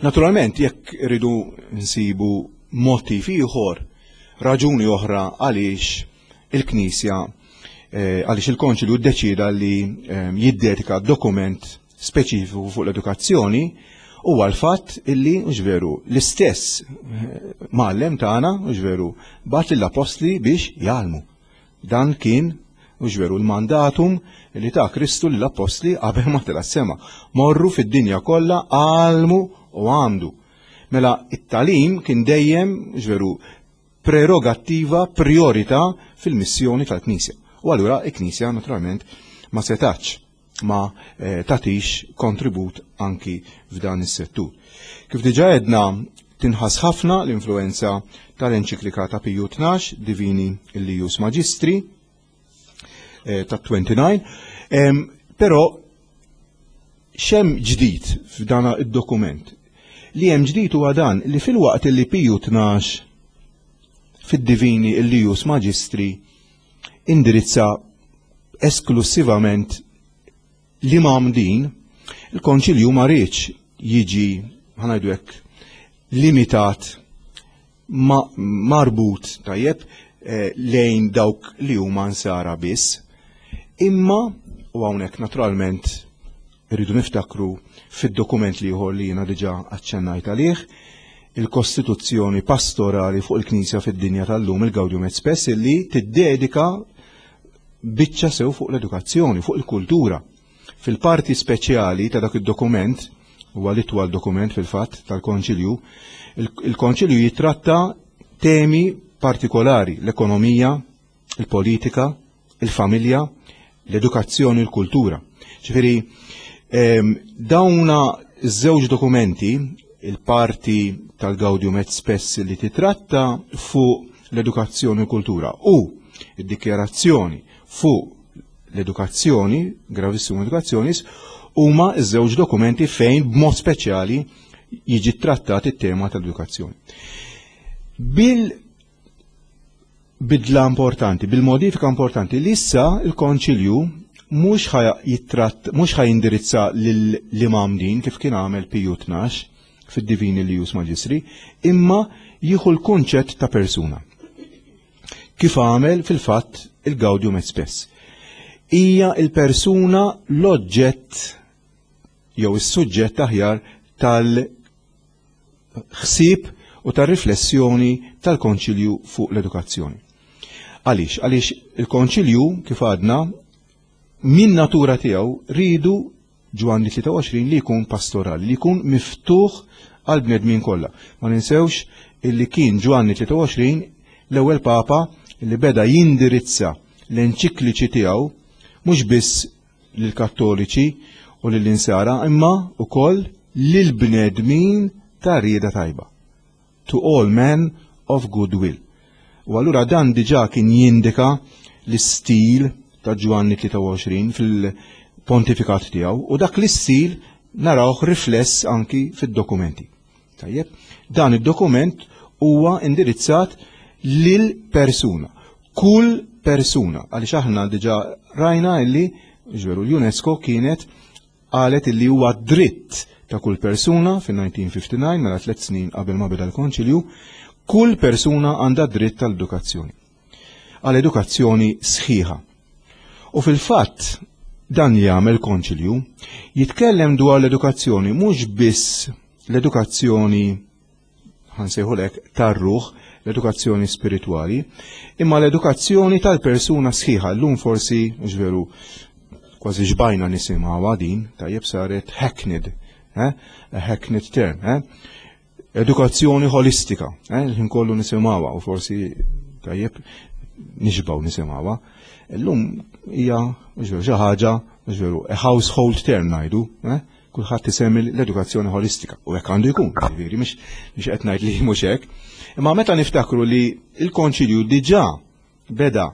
Naturalment, jekk rridu nsibu motiv ieħor, raġuni oħra għaliex il-Knisja eh, għaliex il-Konċilju ddeċida li eh, jiddedika dokument speċifiku fuq l-edukazzjoni huwa l-fatt illi mhux veru l-istess eh, mgħallem tagħna mhux veru bagħat lill-apostli biex jgħallmu. Dan kien, mhux veru, l-mandatum li ta Kristu lill-appostli qabel ma tela' s-sema. Morru fid-dinja kollha għallmu u għamdu. Mela it-tagħlim kien dejjem, mhux veru, prerogattiva, priorità fil-missjoni tal-Knisja. U allura il-Knisja naturalment ma setax ma eh, tatix kontribut anki f'dan is-settur. Kif diġa edna tinħas ħafna l-influenza tal-enċiklika ta' Piju 12 Divini Illius Magistri eh, ta' 29, però xem ġdid f'dan id-dokument. Li hemm ġdid huwa dan li fil-waqt li Piju 12 fid-Divini Illius Magistri indirizza esklussivament li mgħammdin, il-Konċilju ma riedx jiġi, ħanajdu hekk, limitat ma marbut tajjeb eh, lejn dawk li huma nsara biss, imma u hawnhekk naturalment irridu niftakru fid-dokument li ieħor li jiena diġà aċċennajt għalih, il-Kostituzzjoni Pastorali fuq il-Knisja fid-dinja tal-lum il-Gaudium et Spes illi tiddedika biċċa sew fuq l-edukazzjoni, fuq il-kultura. Fil-parti speċjali ta' dak id-dokument, huwa l-itwal dokument fil-fatt tal-Konċilju, il-Konċilju jitratta temi partikolari, l-ekonomija, il-politika, il-familja, l-edukazzjoni, l-kultura. Ġifieri, dawna żewġ dokumenti, il-parti tal-Gaudium et Spes li titratta fuq l-edukazzjoni u kultura u id-dikjarazzjoni fuq l-edukazzjoni, Gravissimum Educationis, huma ż-żewġ dokumenti fejn b'mod speċjali jiġi trattat it-tema tal-edukazzjoni. Bil bidla importanti, bil-modifika importanti li issa il-Konċilju mhux ħa jittratt mhux ħa jindirizza lill-imam kif kien għamel Piju 12 fid-Divini Illius Magistri, imma jieħu l-kunċett ta' persuna. Kif għamel fil-fatt il-Gaudium et Spes. Hija il-persuna l-oġġett jew is-suġġett aħjar tal-ħsieb u tar-riflessjoni tal-Konċilju fuq l-edukazzjoni. Għaliex? Għaliex il-Konċilju, kif għadna, min natura tiegħu ridu Ġwanni 23 li jkun pastorali, li jkun miftuħ għal bnedmin kollha. Ma ninsewx illi kien Ġwanni 23 l-ewwel Papa li beda jindirizza l-enċikliċi tiegħu mhux biss lill-Kattoliċi u lill-Insara imma wkoll lill-bnedmin ta' rieda tajba. To all men of good will. U allura dan diġà kien jindika l-istil ta' Ġwanni 23 fil-pontifikat tiegħu u dak l-istil narawh rifless anki fid-dokumenti. Tajjeb, dan id-dokument huwa indirizzat lil persuna. Kull persuna, għaliex aħna diġà rajna illi ġveru l-UNESCO kienet qalet illi huwa dritt ta' kull persuna fin-1959 mela tliet snin qabel ma beda l-Konċilju, kull persuna għandha dritt tal-edukazzjoni. Għal edukazzjoni sħiħa. U fil-fatt dan li jagħmel konċilju jitkellem dwar l-edukazzjoni mhux biss l-edukazzjoni ħansejħulek tar-ruħ, l-edukazzjoni spiritwali, imma l-edukazzjoni tal-persuna sħiħa. Llum forsi, veru, kważi xbajna nisimgħuha din, tajjeb saret hackneyed, eh? A hackneyed term, eh? Edukazzjoni holistika, eh? l-ħin kollu nisimgħuha u forsi tajjeb nixbaw nisimgħuha. Illum hija xi ħaġa, veru, a household term ngħidu, eh? Kulħadd isemmi l-edukazzjoni holistika u hekk għandu jkun, ġifieri mhux qed ngħid li mhux hekk. Imma meta niftakru li l-Konċilju diġà beda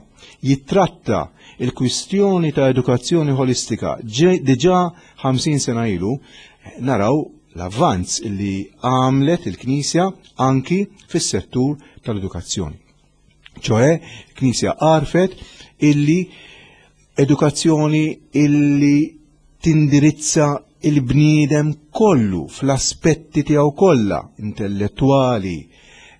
jittratta il-kwistjoni ta' edukazzjoni holistika diġà 50 sena ilu, naraw l-avvanz li għamlet il-Knisja anki fis-settur tal-edukazzjoni. ċoħe, il-Knisja għarfet illi edukazzjoni illi tindirizza il-bniedem kollu fl-aspetti tiegħu kollha, intellettwali,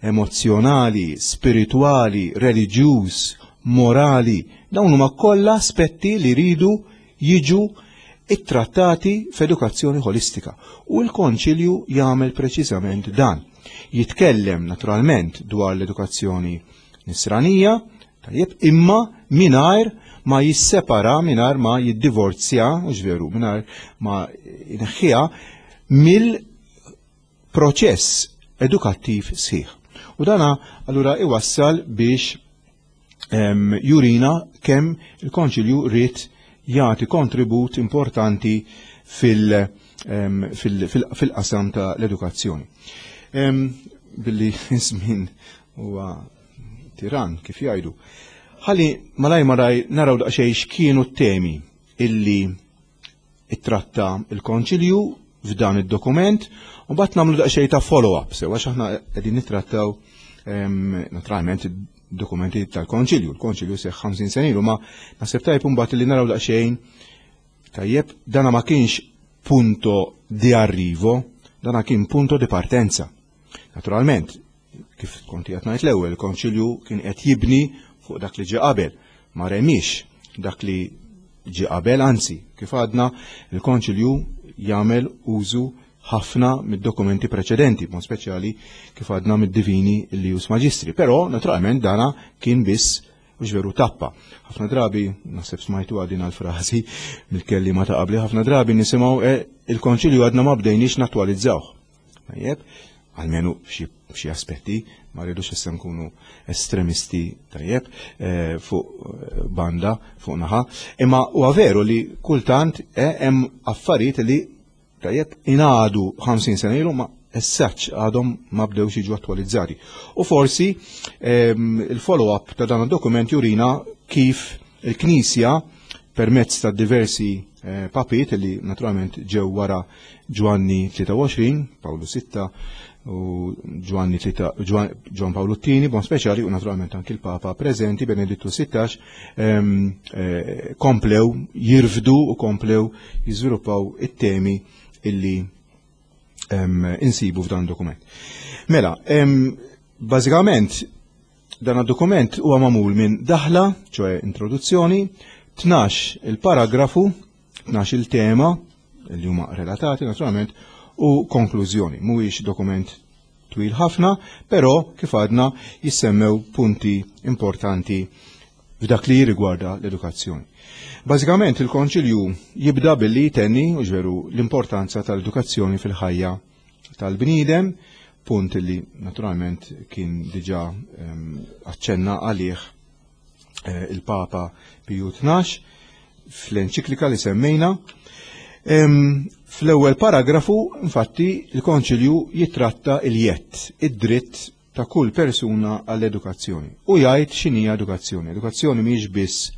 emozzjonali, spiritwali, reliġjuż, morali, dawn huma kollha aspetti li jridu jiġu ittrattati f'edukazzjoni ħolistika. U l-Konċilju jagħmel preċiżament dan. Jitkellem naturalment dwar l-edukazzjoni nisranija, tajjeb, imma mingħajr ma jissepara, mingħajr ma jiddivorzja, mhux veru, mingħajr ma jneħħiha mill-proċess edukattiv sħiħ. U dana allura iwassal biex jurina kemm il-Konċilju ried jagħti kontribut importanti fil-qasam ta' l-edukazzjoni. Billi żmien huwa tiran kif jgħidu. Ħalli malaj malaj naraw daqsxejn x'kienu t-temi illi ittratta il-Konċilju f'dan id-dokument u mbagħad nagħmlu daqsxejn ta' follow-up sew għax aħna qegħdin nittrattaw naturalment dokumenti tal-Konċilju. Il-Konċilju seħ 50 sena ilu ma naħseb tajjeb imbagħad li naraw daqsxejn tajjeb dana ma kienx punto di arrivo, dana kien punto di partenza. Naturalment, kif kont qed ngħid l-ewwel, il-Konċilju kien qed jibni fuq dak li ġie qabel, ma remix dak li ġie qabel, anzi, kif għadna, il-Konċilju jagħmel użu ħafna mid-dokumenti preċedenti, b'mod speċjali kif għadna mid-Divini Illius Magistri. Però, naturalment, dana kien biss Mhux veru tappa. Ħafna drabi, naħseb smajtu din għal-frażi mill-kelliema ta' qabli, ħafna drabi nisimgħu eh, il-konċilju għadna ma bdejniex nattualizzawh. Tajjeb, almenu f'xi aspetti, ma rridux issa nkunu estremisti tajjeb eh, fuq eh, banda, fuq naħa, imma huwa veru li kultant hemm affarijiet li Tajjeb, ingħadu 50 sena ilu ma essaċ għadhom ma bdewx jiġu attwalizzati. U forsi ehm, il-follow-up ta' dan id-dokument jurina kif il-Knisja permezz ta' diversi eh, papiet li naturalment ġew wara Ġwanni 23, Pawlu 6 u Ġwanni Ġwan Pawlu II, bon speċjali u naturalment anki l-Papa preżenti Benedittu 16 ehm, eh, komplew jirfdu u komplew jiżviluppaw it-temi illi ehm, insibu f'dan dokument. Mela, ehm, bażikament dan id-dokument huwa magħmul minn daħla, ċoe introduzzjoni, 12 il-paragrafu, 12 il-tema li huma relatati naturalment u konklużjoni. Mhuwiex dokument twil ħafna, però kif għadna jissemmew punti importanti f'dak li jirrigwarda l-edukazzjoni. Bażikament il-Konċilju jibda billi jtenni u ġveru l-importanza tal-edukazzjoni fil-ħajja tal-bniedem, punt li naturalment kien diġà ehm, aċċenna għalih eh, il-Papa Piju 12 fl-enċiklika li semmejna. Fl-ewwel paragrafu, infatti, il-Konċilju jitratta il-jett, id-dritt ta' kull persuna għall-edukazzjoni. U jgħid x'inhija edukazzjoni. Edukazzjoni mhijiex biss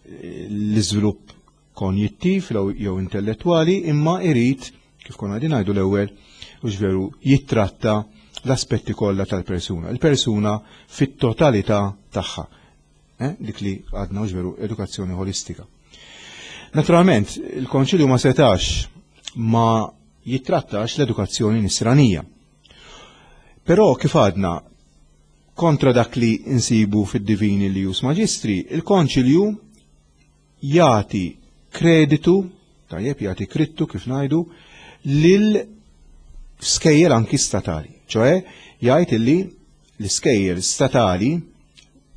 l-iżvilupp konjittiv jew intellettwali, imma irid, kif konna qegħdin ngħidu l-ewwel, u veru jittratta l-aspetti kollha tal-persuna. Il-persuna fit-totalità tagħha. Eh? Dik li għadna u veru edukazzjoni holistika. Naturalment, il-Konċilju ma setax ma jittrattax l-edukazzjoni nisranija. Però kif għadna kontra dak li insibu fid-divini li jus maġistri, il-Konċilju jagħti kreditu, tajjeb jagħti krittu kif ngħidu, lil skejjel anki statali. ċoe jgħid illi l-iskejjel statali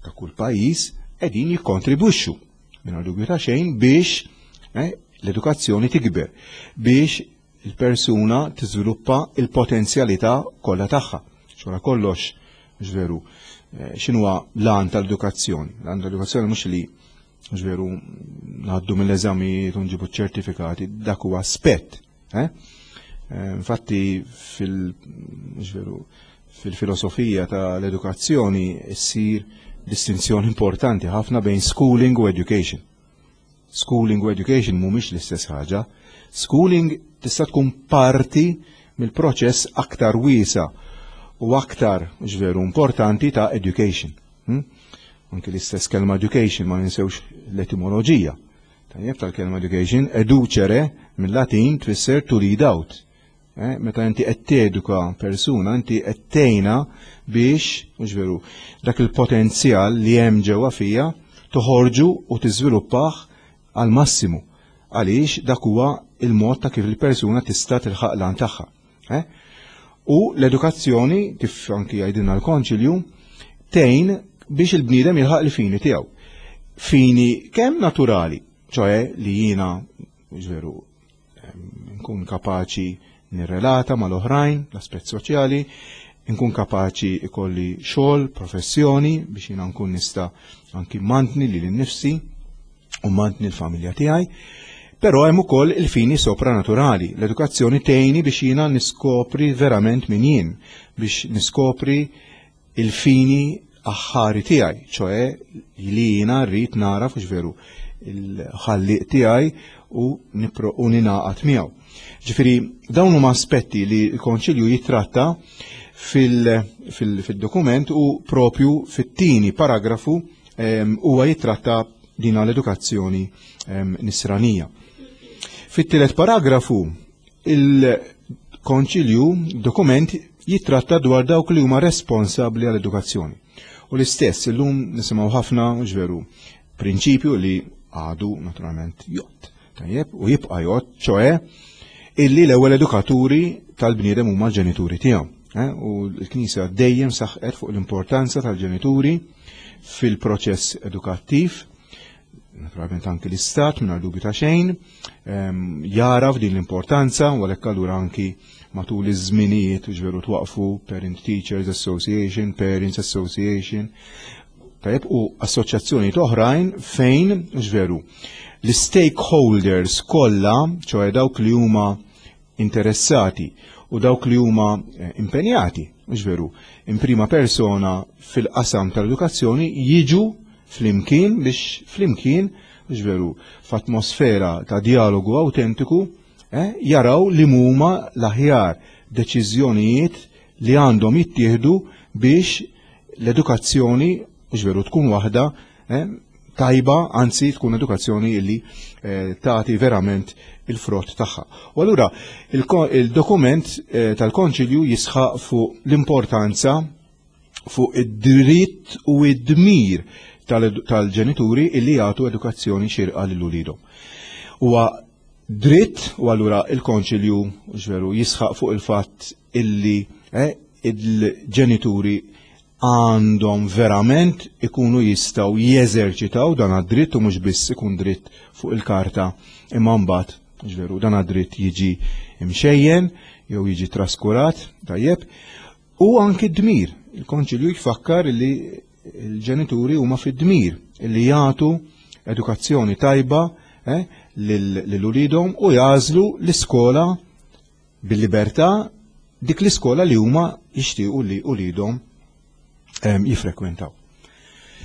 ta' kull pajjiż qegħdin jikkontribwixxu mingħajr dubju ta' xejn biex eh, l-edukazzjoni tikber, biex il-persuna tiżviluppa il-potenzjalità kollha tagħha. Xora kollox, mhux veru, eh, x'inhuwa l-għan tal-edukazzjoni? L-għan tal-edukazzjoni mhux li mhux veru ngħaddu mill-eżamijiet u nġibu ċertifikati, dak huwa aspett. Eh? Eh, infatti fil veru fil-filosofija tal-edukazzjoni ssir distinzjoni importanti ħafna bejn schooling u education. Schooling u education mhumiex l-istess ħaġa. Schooling tista' tkun parti mill-proċess aktar wiesa u aktar ġveru importanti ta' education. Hmm? Anki l-istess kelma education ma ninsewx l-etimoloġija. Tajjeb tal-kelma education, educere mill-Latin tfisser to lead out. Eh, meta inti qed teduka persuna, inti qed tgħinha biex, mhux veru, dak il-potenzjal li hemm ġewwa fija toħorġu u tiżviluppah għal massimu. Għaliex dak huwa il-mod ta' kif il-persuna tista' tilħaq lan tagħha. Eh? U l-edukazzjoni, kif anki jgħidilna l-konċilju, tgħin biex il-bniedem jilħaq il-fini tiegħu. Fini kemm naturali, ċoe li jiena, mhux veru, nkun kapaċi nirrelata mal-oħrajn, l-aspett soċjali, nkun kapaċi ikolli xogħol, professjoni biex jiena nkun nista' anki mantni lili nnifsi u mantni l-familja tiegħi. Però hemm ukoll il-fini sopranaturali. L-edukazzjoni tgħinni biex jiena niskopri verament min jien, biex niskopri il-fini aħħari tiegħi, ċoe li jiena rrid nara fux veru il-ħalliq tiegħi u u ninaqat miegħu. Ġifieri dawn huma aspetti li l-Konċilju jitratta fil-dokument u propju fit-tieni paragrafu ehm, huwa jitratta din l-edukazzjoni ehm, nisranija. Fit-tielet paragrafu Il-Konċilju, dokument, jittratta dwar dawk li huma responsabbli għall-edukazzjoni. U l-istess illum nisimgħu ħafna ġveru prinċipju li għadu naturalment jott. Tajjeb, u jibqa' jott, ċoe illi l-ewwel edukaturi tal-bniedem huma l-ġenituri tiegħu. Eh? U l-Knisja dejjem saħqet fuq l-importanza tal-ġenituri fil-proċess edukattiv. Naturalment anki l-Istat mingħajr dubju ta' xejn jara f'din l-importanza u għalhekk allura anki matul iż-żminijiet ġveru twaqfu Parent Teachers Association, Parents Association, tajjeb u assoċjazzjonijiet oħrajn fejn ġveru l-stakeholders kollha, ċoħe dawk li huma interessati u dawk li huma eh, impenjati, mhux veru, in prima persona fil-qasam tal-edukazzjoni jiġu flimkien biex flimkien, mhux veru, f'atmosfera ta' dialogu autentiku, eh, jaraw li huma l-aħjar deċiżjonijiet li għandhom jittieħdu biex l-edukazzjoni, mhux veru, tkun waħda eh, tajba, anzi tkun edukazzjoni illi eh, tagħti verament il-frott tagħha. U allura il-dokument eh, tal-Konċilju jisħaq fuq l-importanza fuq id-dritt u id-dmir tal-ġenituri illi jagħtu edukazzjoni xirqa lil uliedhom. Huwa dritt u allura il-Konċilju ġveru jisħaq fuq il-fatt illi eh, il-ġenituri għandhom verament ikunu jistgħu jeżerċitaw dan għad-dritt u mhux biss ikun dritt fuq il-karta imma mbagħad ġveru dan għad-dritt jiġi imxejjen jew jiġi traskurat tajjeb u anki d-dmir. Il-Konċilju jfakkar li l-ġenituri huma fid-dmir li jagħtu edukazzjoni tajba eh, lil uliedhom u jagħżlu l-iskola bil-libertà dik l-iskola li huma jixtiequ li uliedhom ehm, jifrekwentaw.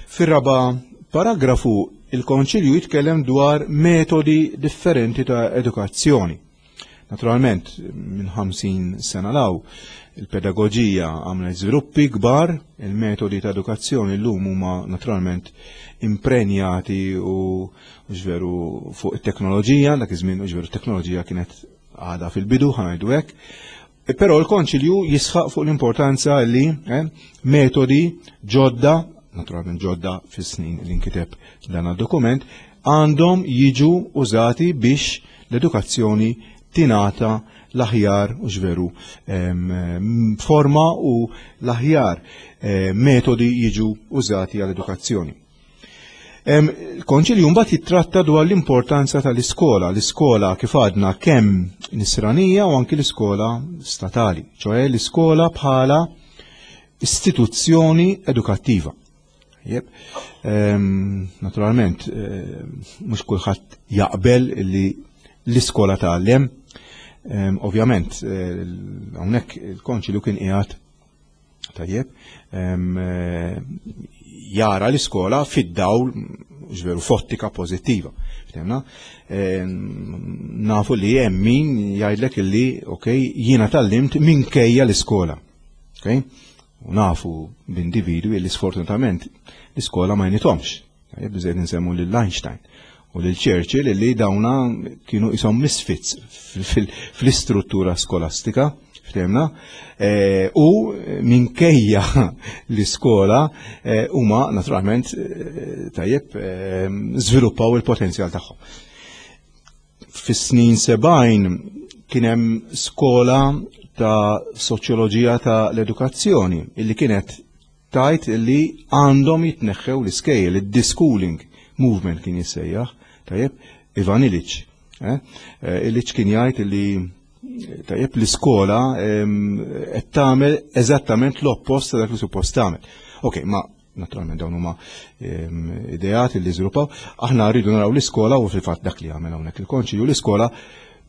Fir-raba paragrafu il-Konċilju jitkellem dwar metodi differenti ta' edukazzjoni. Naturalment, minn 50 sena law, il-pedagogija għamlet żviluppi kbar, il-metodi ta' edukazzjoni llum huma naturalment imprenjati u ġveru fuq it-teknoloġija, dak iż-żmien ġveru t-teknoloġija kienet għada fil-bidu, ħanajdu hekk. Però l-Konċilju jisħaq fuq l-importanza li eh, metodi ġodda, naturalment ġodda fis-snin li nkiteb dan dokument għandhom jiġu użati biex l-edukazzjoni tingħata l-aħjar u ġveru forma u l-aħjar eh, metodi jiġu użati għall-edukazzjoni. Il-Konċilju mbagħad jittratta dwar l-importanza tal-iskola, l-iskola kif għadna kemm nisranija u anki l-iskola statali, ċoħe l-iskola bħala istituzzjoni edukattiva. Jeb, naturalment, mhux kulħadd jaqbel li l-iskola tgħallem. Ovvjament, eh, hawnhekk il-konċilju kien qiegħed Tajjeb, eh, jara l-iskola fid-dawl ġveru fottika pozittiva. Ftemna? Nafu li hemm min jgħidlek illi, ok, jiena tallimt minkejja l-iskola. Ok? U nafu b'individwi li sfortunatament l-iskola ma jnitomx. Tajjeb, biżejjed nsemmu lil Einstein u lil Churchill li dawna kienu isom misfits fl-istruttura skolastika, ftehmna, eh, u minkejja l-iskola eh, huma naturalment eh, tajjeb żviluppaw il-potenzjal tagħhom. Fis-snin 70 kien hemm skola ta' soċjoloġija ta' l-edukazzjoni illi kienet tgħid li għandhom jitneħħew l-iskejjel, id-deschooling movement kien jissejjaħ, tajjeb, Ivan Illich. Eh? eh Illich kien jgħid li tajjeb l-iskola qed tagħmel eżattament l-oppost ta' dak li suppost tagħmel. Ok, ma naturalment dawn huma ideat li żviluppaw, aħna rridu naraw l-iskola u fil-fatt dak li għamel hawnhekk il-konċilju l-iskola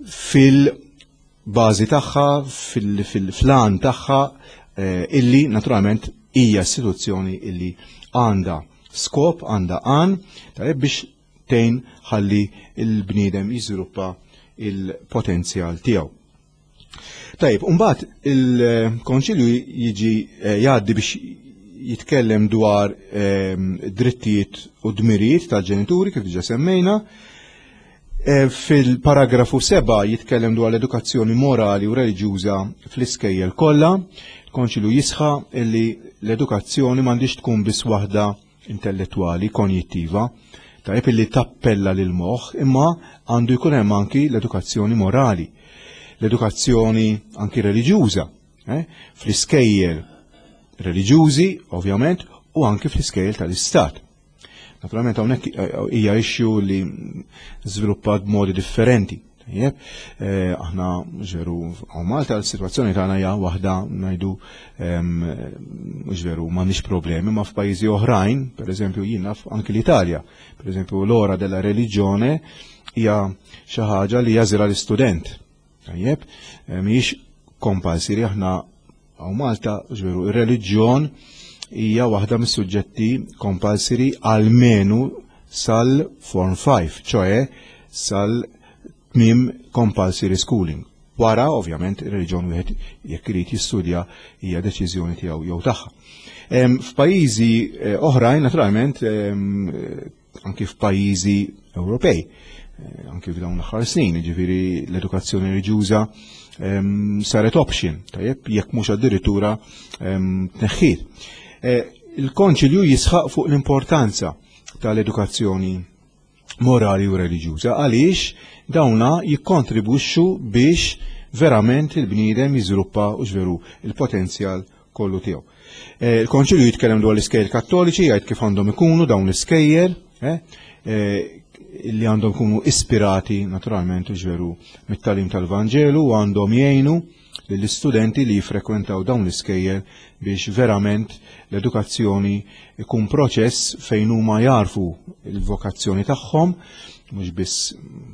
fil- bażi tagħha, fil-flan tagħha eh, illi naturalment hija istituzzjoni illi għandha skop, għandha għan, tajjeb biex tgħin ħalli il-bniedem jiżviluppa il-potenzjal tiegħu. Tajjeb, mbagħad il-Konċilju jiġi eh, jgħaddi biex jitkellem dwar ehm, drittijiet u dmirijiet tal-ġenituri kif diġa semmejna, E, fil-paragrafu 7 jitkellem dwar l-edukazzjoni morali u reliġjuża fl-iskejjel kollha. Il-Konċilju jisħa illi l-edukazzjoni m'għandix tkun biss waħda intellettwali, konjittiva, tajjeb illi tappella lil moħħ, imma għandu jkun hemm anki l-edukazzjoni morali, l-edukazzjoni anki reliġjuża, eh? fl-iskejjel reliġjużi, ovvjament, u anki fl-iskejjel tal-istat. Naturalment hawnhekk hija issue li żviluppat b'modi differenti. Tajjeb, aħna veru hawn Malta l-sitwazzjoni tagħna hija waħda ngħidu mhux veru m'għandniex problemi, ma f'pajjiżi oħrajn, pereżempju jien naf anki l-Italja, pereżempju l-ora della religione hija xi ħaġa li jażilha l-istudent. Tajjeb, mhijiex compulsory, aħna hawn Malta veru ir-reliġjon hija waħda mis-suġġetti compulsory almenu sal-Form 5, ċoe sal-tmiem compulsory schooling. Wara, ovvjament, ir-reliġjon wieħed jekk irid jistudja hija deċiżjoni tiegħu jew tagħha. F'pajjiżi oħrajn, naturalment, anki f'pajjiżi Ewropej, anki f'dawn l-aħħar snin, jiġifieri l-edukazzjoni reliġjuża saret option, tajjeb, jekk mhux addirittura tneħħiet. Il-Konċilju jisħaq fuq l-importanza tal-edukazzjoni morali u reliġjuża għaliex dawna jikkontribwixxu biex verament il-bniedem jiżviluppa u veru il-potenzjal kollu tiegħu. Il-Konċilju jitkellem dwar l-iskejjel kattoliċi, jgħid kif għandhom ikunu dawn l-iskejjel, li għandhom ikunu ispirati naturalment u veru mit-tagħlim tal-Vanġelu u għandhom jgħinu lill-istudenti li jifrekwentaw dawn l-iskejjel biex verament l-edukazzjoni ikun proċess fejn huma jarfu l-vokazzjoni tagħhom, mhux biss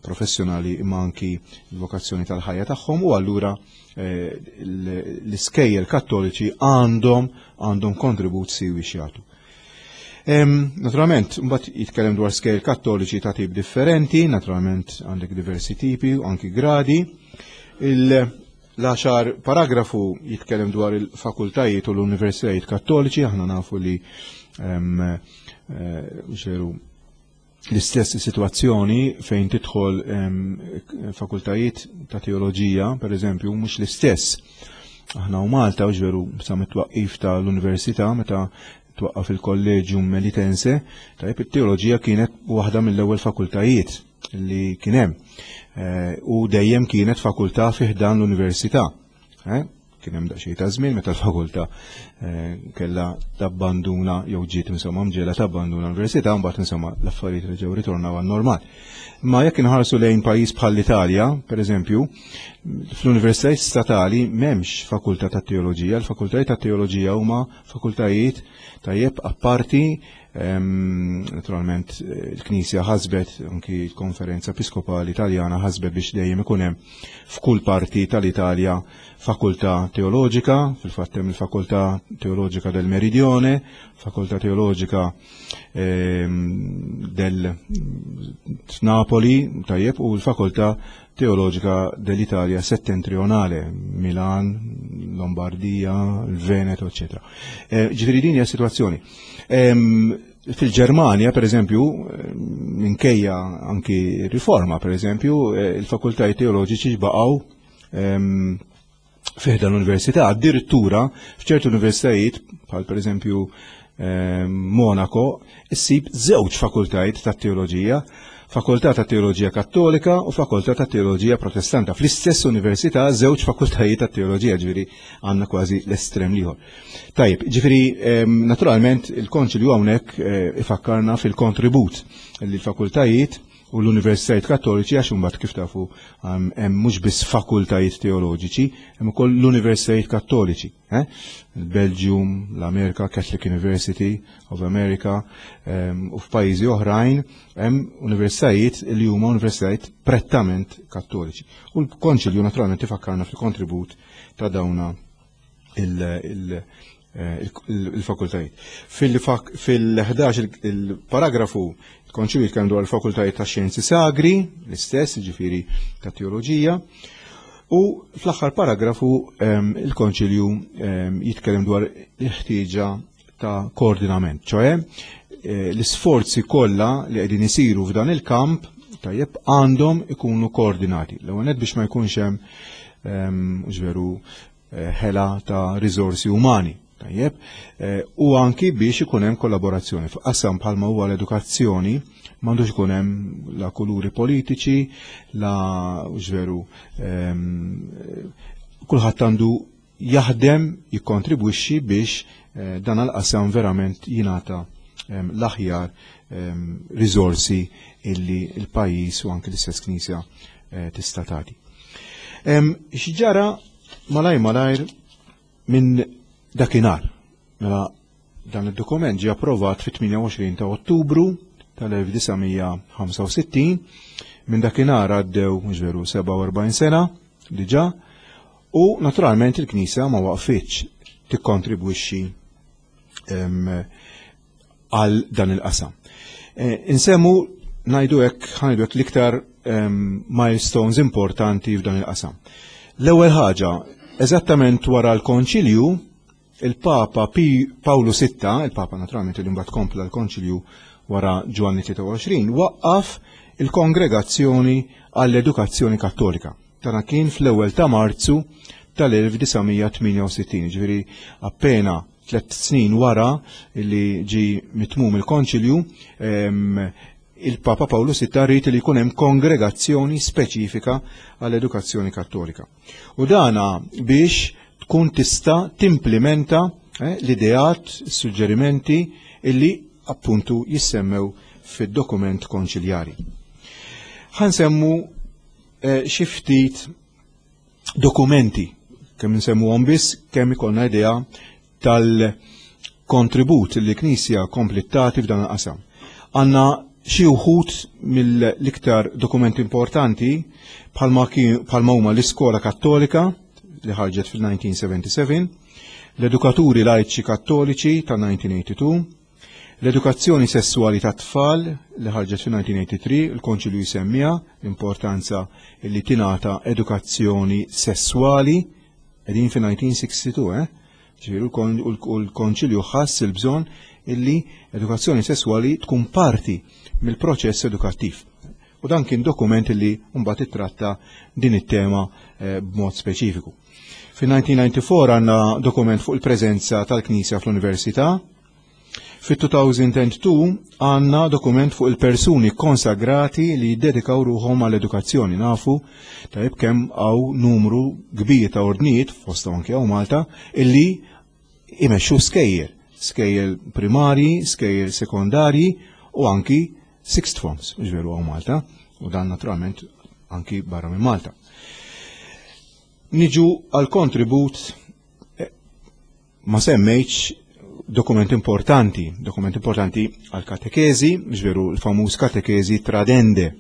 professjonali imma anki l-vokazzjoni tal-ħajja tagħhom, u allura l-iskejjel kattoliċi għandhom kontribut siwi x'jagħtu. Naturalment, mbagħad jitkellem dwar skejjel kattoliċi ta' tip differenti, naturalment għandek diversi tipi u anki gradi. L-10 paragrafu jitkellem dwar il-fakultajiet u l-universitajiet kattoliċi, aħna nafu li ġeru l-istess situazzjoni fejn tidħol fakultajiet ta' teoloġija, per eżempju, mhux l-istess. Aħna u Malta, ġveru, sa mit-twaqqif tal-università, meta twaqqaf il-Collegium Melitense, tajjeb, it-teoloġija kienet waħda mill-ewwel fakultajiet li kien hemm. U dejjem kienet fakultà fi ħdan l-università. Kien hemm daqsxejn ta' żmien meta l-fakultà kellha tabbanduna jew ġiet insomma mġiela tabbanduna l-università, mbagħad insomma l-affarijiet reġgħu ritornaw għan-normal. Ma jekk inħarsu lejn pajjiż bħal l-Italja, pereżempju, fl-universitajiet statali m'hemmx fakultà ta' teoloġija, l-fakultajiet ta' teoloġija huma fakultajiet tajjeb apparti. Naturalment il-Knisja ħasbet, anki l-Konferenza Episkopali Italjana ħasbet biex dejjem ikun hemm f'kull parti tal-Italja fakultà teoloġika, fil-fatt hemm il-Fakultà Teoloġika del Meridione, Fakultà Teoloġika del Napoli, tajjeb, u l-Fakultà Teoloġika dell'Italia Settentrionale, Milan, Lombardia, il Veneto, eccetera. Ġifieri din hija situazzjoni. Fil-Ġermanja, per eżempju, minkejja anki riforma, per eżempju, il-fakultajiet teoloġiċi baqgħu fi ħdan l-università, addirittura f'ċertu universitajiet, bħal per eżempju Monaco, issib żewġ fakultajiet ta' teoloġija, fakultà ta' teoloġija kattolika u fakultà ta' teoloġija protestanta. Fl-istess università żewġ fakultajiet ta' teoloġija, ġifieri għandna kważi l-estrem l-ieħor. Tajjeb, ġifieri naturalment il-Konċilju hawnhekk ifakkarna fil-kontribut li l-fakultajiet u l-universitajiet kattoliċi, għax imbagħad kif tafu hemm mhux biss fakultajiet teoloġiċi, hemm ukoll l-universitajiet kattoliċi. Il-Belgium, l-Amerika, Catholic University of America, u f'pajjiżi oħrajn hemm universitajiet li huma universitajiet prettament kattoliċi. U l-Konċilju naturalment ifakkarna fil-kontribut ta' dawna il-fakultajiet. Fil-11 il-paragrafu il-Konċilju jitkellem dwar il-fakultajiet ta' xjenzi sagri, l-istess, ġifieri ta' teoloġija, u fl-aħħar paragrafu il-Konċilju jitkellem dwar il-ħtieġa ta' koordinament, ċoe l-isforzi kollha li qegħdin isiru f'dan il-kamp tajjeb għandhom ikunu koordinati. L-ewwel nett biex ma jkunx hemm mhux veru ħela ta' riżorsi umani, tajjeb, u anki biex ikun hemm kollaborazzjoni. F'qasam bħalma huwa l-edukazzjoni m'għandux ikun hemm la kuluri politiċi, la mhux veru kulħadd għandu jaħdem, jikkontribwixxi biex dan għal-qasam verament jingħata l-aħjar riżorsi illi l-pajjiż u anki l-istess Knisja tista' tagħti. X'ġara malaj malajr minn dakinhar? Mela dan id-dokument ġie approvat fit-28 ta' Ottubru tal-1965, minn dakinhar għaddew mhux veru 47 sena diġà, u naturalment il-Knisja ma waqfitx tikkontribwixxi għal dan il-qasam. Insemmu ngħidu hekk, ħanajdu hekk l-iktar milestones importanti f'dan il-qasam. L-ewwel ħaġa, eżattament wara l-Konċilju, il-Papa Pawlu VI, il-Papa naturalment li mbagħad kompla l-Konċilju wara Ġwanni 23, waqqaf il-Kongregazzjoni għall-Edukazzjoni Kattolika. Tana kien fl-ewwel ta' Marzu tal-1968, ġifieri appena 3 snin wara li ġi mitmum il-Konċilju, il-Papa Pawlu VI rrid li jkun hemm kongregazzjoni speċifika għall-edukazzjoni kattolika. U dana biex tkun tista' timplementa l-ideat, suġġerimenti illi appuntu jissemmew fid-dokument konċiljari. Ħansemmu xi ftit dokumenti, kemm nsemmuhom biss, kemm ikollna idea tal-kontribut li l-Knisja komplet tagħti f'dan il-qasam. Għandna xi wħud mill-iktar dokumenti importanti bħalma huma l-Iskola Kattolika li ħarġet fil-1977, l-Edukaturi Lajċi Kattoliċi ta' 1982, l-Edukazzjoni Sessuali ta' Tfal li ħarġet fil-1983, il-Konċilju jsemmiha l-importanza li tingħata edukazzjoni sessuali, qegħdin fil-1962, eh? Ġifieri l-Konċilju ħass il-bżonn illi edukazzjoni sessuali tkun parti mill-proċess edukattiv. U dan kien dokument illi mbagħad ittratta din it-tema b'mod speċifiku. Fin-1994 għandna dokument fuq il-preżenza tal-Knisja fl-Università. Fit-2002 għandna dokument fuq il-persuni konsagrati li jiddedikaw ruħhom għall-edukazzjoni. Nafu tajb kemm hawn numru kbir ta' ordnijiet, fosthom anke hawn Malta, illi imexxu skejjel, skejjel primarji, skejjel sekondarji u anki sixth forms, ġveru hawn Malta, u dan naturalment anki barra minn Malta. Niġu għal kontribut, ma semmejtx dokument importanti, dokument importanti għal katekezi, ġveru l-famuż katekezi tradende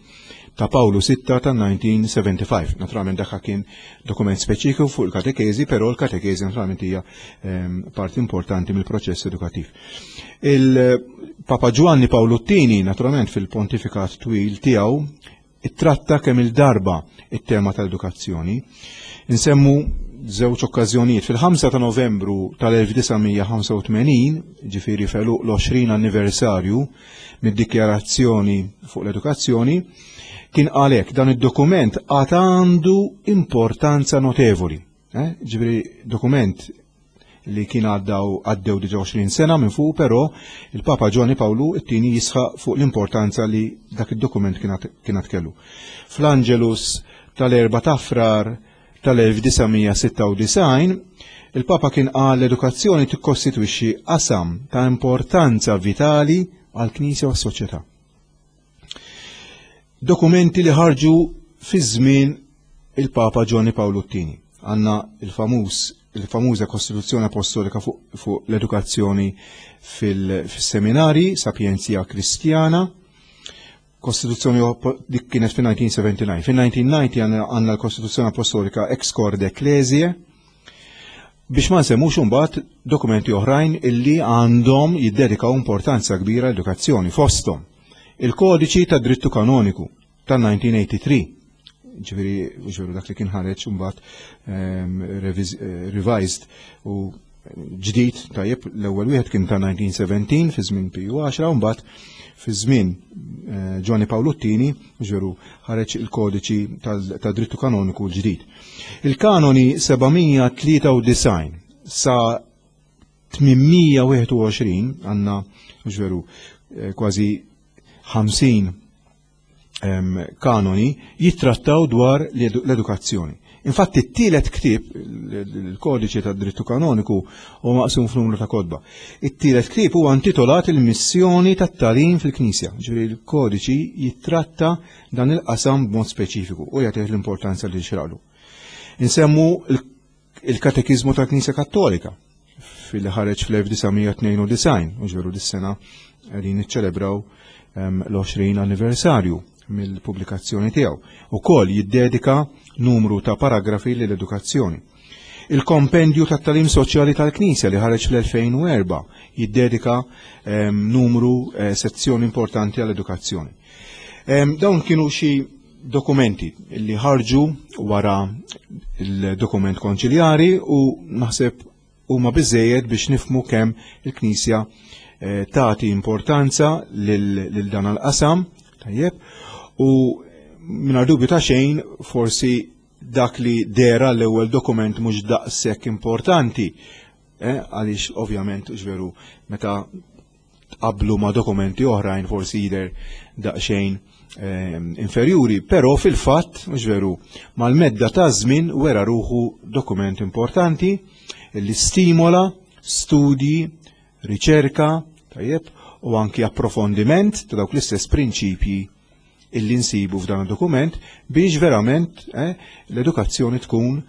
ta' Pawlu VI ta' 1975. Naturalment dak kien dokument speċifiku fuq il-katekezi, però l-katekezi naturalment hija parti importanti mill-proċess edukattiv. Il-Papa Giovanni Paolo II, naturalment fil-pontifikat twil tiegħu, ittratta kemm il-darba it-tema tal-edukazzjoni. Insemmu żewġ okkażjonijiet. Fil-5 ta' Novembru tal-1985, ġifieri feluq l-20 anniversarju mid-dikjarazzjoni fuq l-edukazzjoni, kien għalhekk dan id-dokument għad għandu importanza notevoli. Ġifieri dokument li kien għaddew diġa 20 sena minn fuq, però il-Papa Giovanni Paolo it-tieni jisħaq fuq l-importanza li dak id-dokument kien kellu. Fl-Angelus tal-4 ta' Frar tal-1996, il-Papa kien qal l-edukazzjoni tikkostitwixxi qasam ta' importanza vitali għall-Knisja u s-soċjetà. Dokumenti li ħarġu fi żmien il-Papa Giovanni Paolo II. Għandna il-famuża Kostituzzjoni Apostolika fuq l-edukazzjoni fil-seminari, Sapientia Christiana, Kostituzzjoni dik kienet fin-1979. Fin-1990 għandna l-Kostituzzjoni Apostolika Ex Corde Ecclesiae, biex ma nsemmux imbagħad dokumenti oħrajn illi għandhom jiddedikaw importanza kbira l-edukazzjoni, fosthom il-Kodiċi tad Drittu Kanoniku tal-1983, ġifieri dak li kien ħareġ imbagħad revised u ġdid, tajjeb, l-ewwel wieħed kien ta' 1917 fi żmien Piju 10, u mbagħad fi żmien Giovanni Paolo II, ġveru ħareġ il-kodiċi tad drittu kanoniku l-ġdid. Il-kanoni 793 sa 821 għandna ġveru kważi 50 kanoni jittrattaw dwar l-edukazzjoni. Infatti t-tielet ktieb, il-kodiċi tad-drittu kanoniku huwa maqsum f'numru ta' kotba. It-tielet ktieb huwa intitolat il-missjoni tat-tagħlim fil-Knisja. Ġifieri l-kodiċi jittratta dan il-qasam b'mod speċifiku u jagħtih l-importanza li xraqlu. Insemmu il-Katekiżmu tal-Knisja Kattolika fil ħareġ fl-1992, u ġveru dis-sena qegħdin niċċelebraw l-20 anniversarju mill-pubblikazzjoni tiegħu. Ukoll jiddedika numru ta' paragrafi lill-edukazzjoni. Il-kompendju tat-talim soċjali tal-Knisja li ħareġ fl-2004 jiddedika numru sezzjoni importanti għall-edukazzjoni. Dawn kienu xi dokumenti li ħarġu wara il-dokument konċiljari u naħseb huma biżejjed biex nifmu kemm il-Knisja eh, tagħti importanza lil dan il-qasam, tajjeb, u mingħajr dubju ta' xejn forsi dak li dera l-ewwel dokument mhux daqshekk importanti, eh, għaliex ovvjament veru meta tqablu ma' dokumenti oħrajn forsi jidher daqsxejn inferjuri, però fil-fatt, mhux veru, mal-medda ta' żmien wera ruħu dokument importanti li stimola studji, riċerka, tajjeb, u anki approfondiment ta' dawk l-istess prinċipji illi nsibu f'dan id-dokument biex verament eh, l-edukazzjoni tkun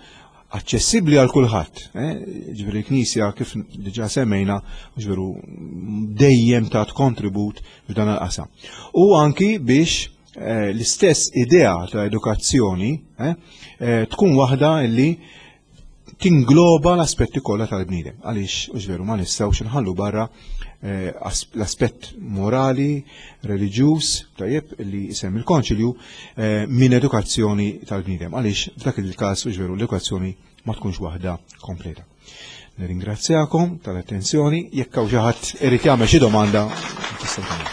aċċessibbli għal kulħadd. Eh, ġifieri l-Knisja kif diġà semmejna, ġifieri dejjem tat kontribut f'dan il-qasam. U anki biex eh, l-istess idea ta' edukazzjoni tkun waħda illi tingloba l-aspetti kollha tal-bniedem. Għaliex, u veru, ma nistgħux inħallu barra eh, l-aspett morali, reliġjuż, tajjeb li jisem il-konċilju eh, minn edukazzjoni tal-bniedem. Għaliex f'dak il-każ, u veru, l-edukazzjoni ma tkunx waħda kompleta. Nirringrazzjakom tal-attenzjoni, jekk hawn xi ħadd irid jagħmel xi domanda, tistgħu.